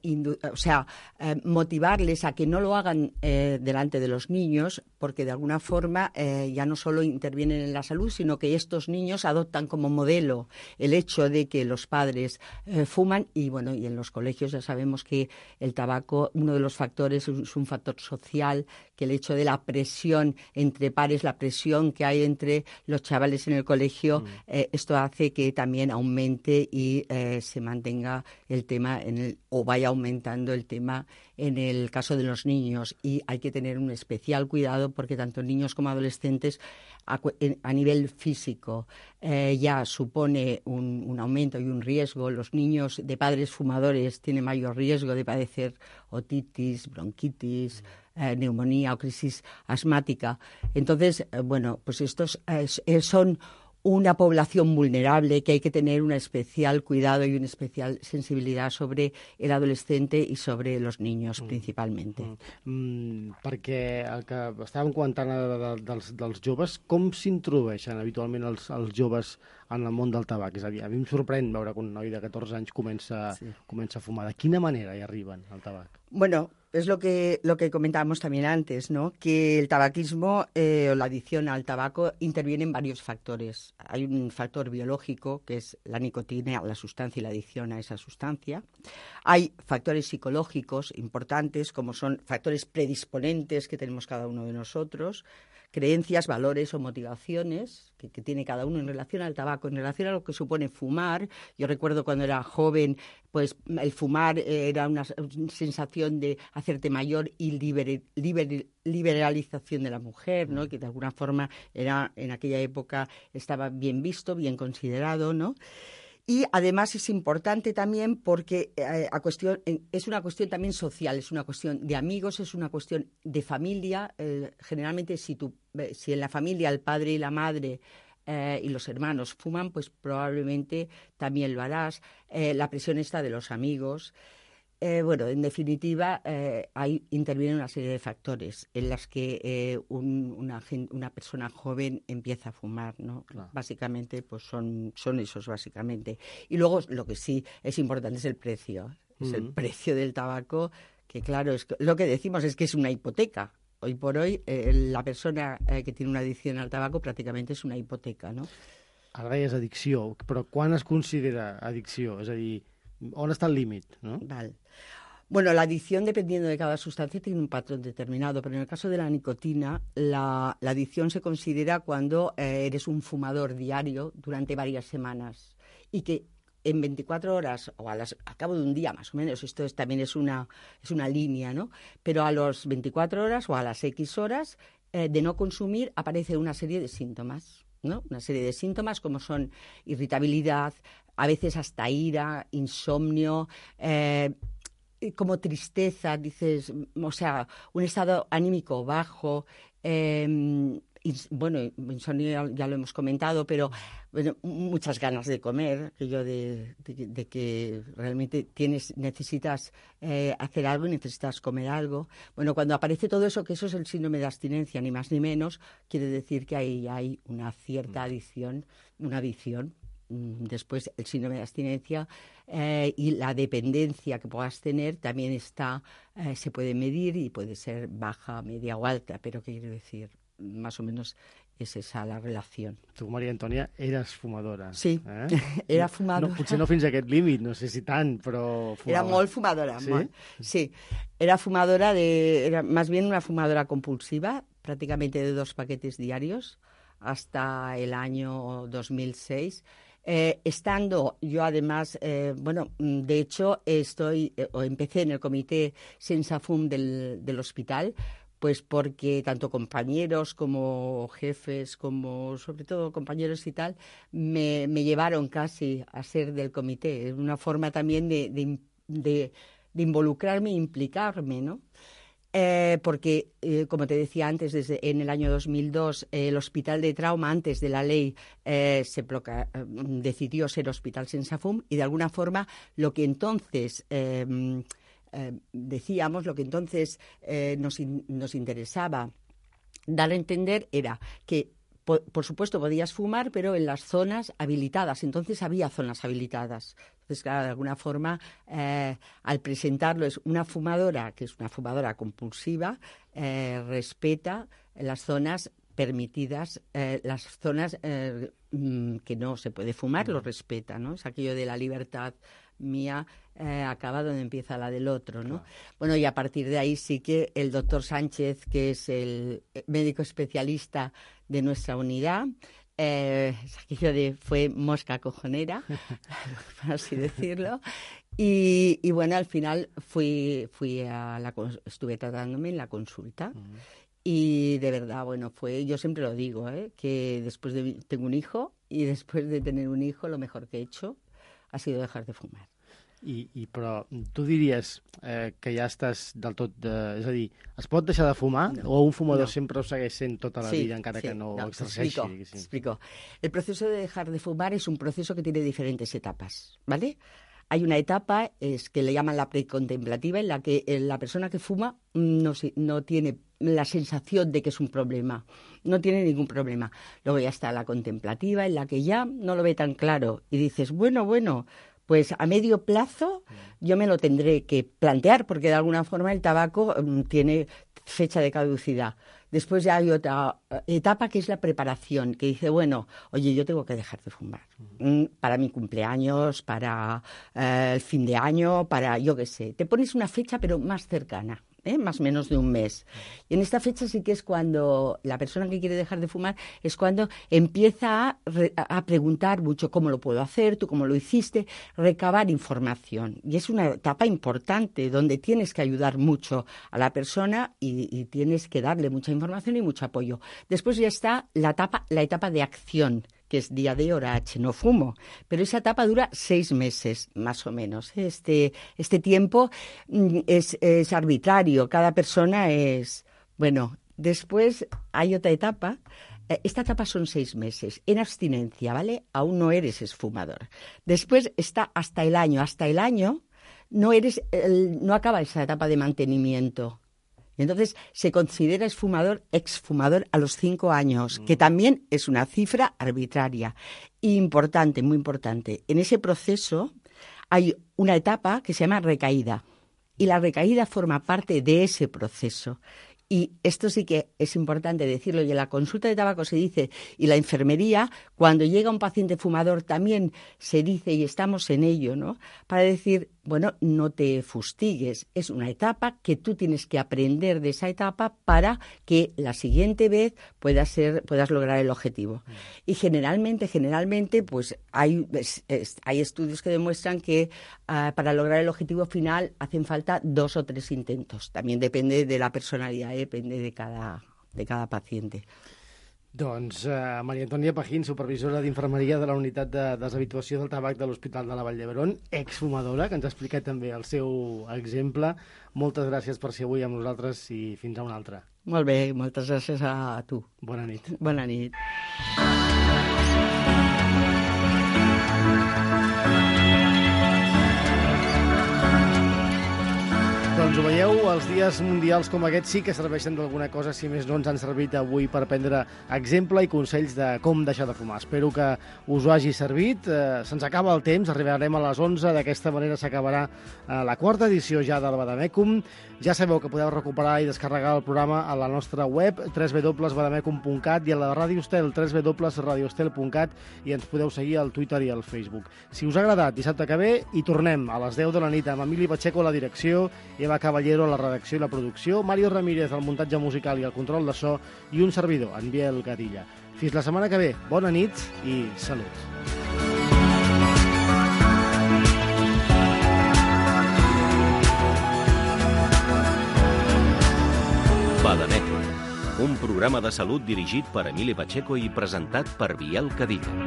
S16: o sea, eh, motivarles a que no lo hagan eh, delante de los niños, porque de alguna forma eh, ya no solo intervienen en la salud, sino que estos niños adoptan como modelo el hecho de que los padres eh, fuman y, bueno, y en los colegios ya sabemos que el tabaco, uno de los factores es un factor social, que el hecho de la presión entre pares, la presión que hay entre los chavales en el colegio, mm. eh, esto hace que también aumente y eh, se mantenga el tema en el, o vaya aumentando el tema en el caso de los niños. Y hay que tener un especial cuidado porque tanto niños como adolescentes a, a nivel físico eh, ya supone un, un aumento y un riesgo. Los niños de padres fumadores tienen mayor riesgo de padecer otitis, bronquitis, mm. Eh, neumonía o crisis asmática. Entonces, eh, bueno, pues estos eh, son una población vulnerable que hay que tener un especial cuidado y una especial sensibilidad sobre el adolescente y sobre los niños, mm. principalmente.
S7: Mm. Mm, perquè el que estàvem comentant de, de, dels, dels joves, com s'introdueixen habitualment els, els joves en el món del tabac? És a dir, a mi em sorprèn veure que un noi de catorze anys comença, sí. comença a fumar. De quina manera hi arriben al tabac?
S16: Bueno, es lo que, lo que comentábamos también antes, ¿no? Que el tabaquismo eh, o la adicción al tabaco interviene en varios factores. Hay un factor biológico, que es la nicotina, la sustancia y la adicción a esa sustancia. Hay factores psicológicos importantes, como son factores predisponentes que tenemos cada uno de nosotros, creencias, valores o motivaciones que, que tiene cada uno en relación al tabaco, en relación a lo que supone fumar. Yo recuerdo cuando era joven, pues el fumar era una sensación de hacerte mayor y liber, liber, liberalización de la mujer, ¿no? Que de alguna forma era en aquella época estaba bien visto, bien considerado, ¿no? Y además es importante también porque eh, a cuestión, eh, es una cuestión también social, es una cuestión de amigos, es una cuestión de familia. Eh, generalmente si, tu, eh, si en la familia el padre y la madre eh, y los hermanos fuman, pues probablemente también lo harás. Eh, la presión está de los amigos. Eh, bueno, en definitiva, eh, ahí intervienen una serie de factores en las que eh, un, una, una persona joven empieza a fumar, ¿no? Claro. Básicamente, pues son, son esos, básicamente. Y luego, lo que sí es importante es el precio. Es mm. el precio del tabaco, que claro, es, lo que decimos es que es una hipoteca. Hoy por hoy, eh, la persona eh, que tiene una adicción al tabaco prácticamente és una hipoteca, no?
S7: Ara deies addicció, però quan es considera addicció? És a dir, on està el límit, no?
S16: Val. Bueno, la adicción, dependiendo de cada sustancia, tiene un patrón determinado, pero en el caso de la nicotina, la, la adicción se considera cuando eh, eres un fumador diario durante varias semanas y que en veinticuatro horas o a las, al cabo de un día más o menos, esto es, también es una, es una línea, ¿no? Pero a las veinticuatro horas o a las X horas eh, de no consumir aparece una serie de síntomas, ¿no? Una serie de síntomas como son irritabilidad, a veces hasta ira, insomnio, eh, como tristeza, dices, o sea, un estado anímico bajo, eh, ins, bueno, insomnio ya, ya lo hemos comentado, pero bueno, muchas ganas de comer, aquello de, de, de que realmente tienes, necesitas eh, hacer algo y necesitas comer algo. Bueno, cuando aparece todo eso, que eso es el síndrome de abstinencia, ni más ni menos, quiere decir que ahí hay una cierta adicción, una adicción. Después el síndrome de abstinencia eh, y la dependencia que puedas tener también está, eh, se puede medir y puede ser baja, media o alta, pero ¿qué quiere decir? Más o menos es esa la relación.
S7: Tu, Maria Antònia, eres fumadora.
S16: Sí,
S7: eh?
S16: era fumadora.
S7: No, potser no fins a aquest límit, no sé si tant, però fumava.
S16: Era molt fumadora.
S7: ¿Sí?
S16: Molt. Sí, era fumadora, de, era más bien una fumadora compulsiva, prácticamente de dos paquetes diarios, hasta el año dos mil seis. Eh, estando yo además, eh, bueno, de hecho estoy eh, o empecé en el comité Sensafum del, del hospital, pues porque tanto compañeros como jefes, como sobre todo compañeros y tal, me, me llevaron casi a ser del comité. Es una forma también de, de, de, de involucrarme e implicarme, ¿no? Eh, porque, eh, como te decía antes, desde en el año dos mil dos eh, el Hospital de Trauma, antes de la ley, eh, se proca- eh, decidió ser Hospital Sensafum y de alguna forma lo que entonces eh, eh, decíamos, lo que entonces eh, nos, in- nos interesaba dar a entender era que Por, por supuesto, podías fumar, pero en las zonas habilitadas. Entonces había zonas habilitadas. Entonces, claro, de alguna forma, eh, al presentarlo es una fumadora, que es una fumadora compulsiva, eh, respeta las zonas permitidas, eh, las zonas eh, que no se puede fumar, lo respeta, ¿no? Es aquello de la libertad mía eh, acaba donde empieza la del otro, ¿no? Claro. Bueno, y a partir de ahí sí que el doctor Sánchez, que es el médico especialista de nuestra unidad, eh, es aquello de fue mosca cojonera, por así decirlo, y, y bueno, al final fui, fui a la, estuve tratándome en la consulta. Uh-huh. Y de verdad, bueno, fue, yo siempre lo digo, ¿eh? Que después de, tengo un hijo, y después de tener un hijo, lo mejor que he hecho ha sido dejar de fumar.
S7: I, i però tu diries eh, que ja estàs del tot... De, és a dir, es pot deixar de fumar no, o un fumador no. sempre ho segueix sent tota la sí, vida encara sí, que no, no exerceixi?
S16: Explico, explico. El proceso de dejar de fumar es un proceso que tiene diferentes etapas, ¿vale? Hay una etapa es que le llaman la precontemplativa, en la que la persona que fuma no, no tiene la sensación de que es un problema, no tiene ningún problema. Luego ya está la contemplativa, en la que ya no lo ve tan claro y dices, bueno, bueno, pues a medio plazo yo me lo tendré que plantear, porque de alguna forma el tabaco um, tiene fecha de caducidad. Después ya hay otra etapa que es la preparación, que dice, bueno, oye, yo tengo que dejar de fumar. Uh-huh. Para mi cumpleaños, para eh, el fin de año, para yo qué sé. Te pones una fecha pero más cercana. ¿Eh? Más o menos de un mes. Y en esta fecha sí que es cuando la persona que quiere dejar de fumar es cuando empieza a, re, a preguntar mucho cómo lo puedo hacer, tú cómo lo hiciste, recabar información. Y es una etapa importante donde tienes que ayudar mucho a la persona y, y tienes que darle mucha información y mucho apoyo. Después ya está la etapa, la etapa de acción, que es día de hora H, no fumo, pero esa etapa dura seis meses, más o menos. Este, este tiempo es, es arbitrario, cada persona es... Bueno, después hay otra etapa. Esta etapa son seis meses, en abstinencia, ¿vale? Aún no eres esfumador. Después está hasta el año. Hasta el año no eres, el, no acaba esa etapa de mantenimiento. Y entonces se considera esfumador, exfumador a los cinco años, que también es una cifra arbitraria. Importante, muy importante. En ese proceso hay una etapa que se llama recaída. Y la recaída forma parte de ese proceso. Y esto sí que es importante decirlo, y en la consulta de tabaco se dice, y la enfermería, cuando llega un paciente fumador también se dice, y estamos en ello, ¿no? Para decir, bueno, no te fustigues, es una etapa que tú tienes que aprender de esa etapa para que la siguiente vez puedas ser, puedas lograr el objetivo. Mm. Y generalmente, generalmente, pues hay, es, es, hay estudios que demuestran que uh, para lograr el objetivo final hacen falta dos o tres intentos. También depende de la personalidad, eh, depende de cada, de cada paciente.
S7: Doncs uh, Maria Antònia Pajín, supervisora d'infermeria de la unitat de deshabituació del tabac de l'Hospital de la Vall d'Hebron, exfumadora, que ens ha explicat també el seu exemple. Moltes gràcies per ser avui amb nosaltres i fins a una altra.
S16: Molt bé, moltes gràcies a tu.
S7: Bona nit.
S16: Bona nit.
S7: Doncs ho veieu, els dies mundials com aquests sí que serveixen d'alguna cosa, si més no ens han servit avui per prendre exemple i consells de com deixar de fumar. Espero que us ho hagi servit. Eh, se'ns acaba el temps, arribarem a les onze, d'aquesta manera s'acabarà eh, la quarta edició ja del Vademecum. Ja sabeu que podeu recuperar i descarregar el programa a la nostra web, w w w punt vademecum punt cat, i a la Ràdio Estel, w w w punt radio estel punt cat, i ens podeu seguir al Twitter i al Facebook. Si us ha agradat, dissabte que ve hi tornem a les deu de la nit amb Emili Pacheco a la direcció, Eva Caballero a la redacció i la producció, Mario Ramírez al muntatge musical i al control de so, i un servidor, en Biel Gadilla. Fins la setmana que ve, bona nit i salut.
S6: Vademecum, un programa de salut dirigit per Emili Pacheco i presentat per Biel Gadilla.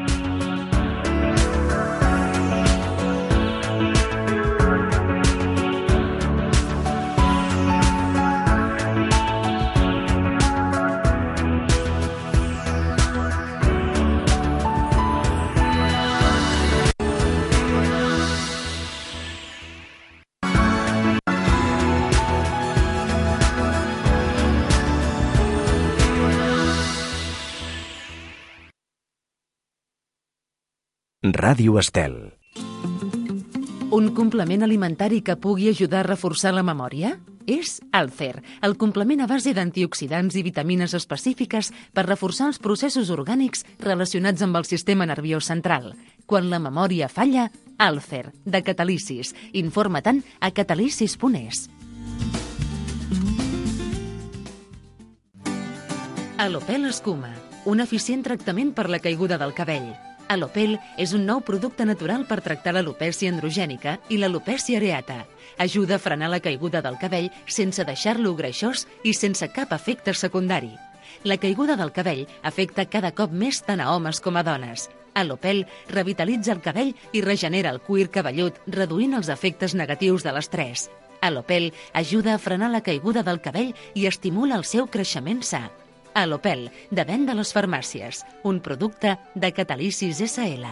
S6: Ràdio Estel.
S1: Un complement alimentari que pugui ajudar a reforçar la memòria? És Alcer, el complement a base d'antioxidants i vitamines específiques per reforçar els processos orgànics relacionats amb el sistema nerviós central. Quan la memòria falla, Alcer, de Catalisis. Informa-te'n a catalisis punt es. Alopel Escuma, un eficient tractament per la caiguda del cabell. Alopel és un nou producte natural per tractar l'alopècia androgènica i l'alopècia areata. Ajuda a frenar la caiguda del cabell sense deixar-lo greixós i sense cap efecte secundari. La caiguda del cabell afecta cada cop més tant a homes com a dones. Alopel revitalitza el cabell i regenera el cuir cabellut, reduint els efectes negatius de l'estrès. Alopel ajuda a frenar la caiguda del cabell i estimula el seu creixement sa. Alopel, de venda a les farmàcies, un producte de Catalisis essa ele.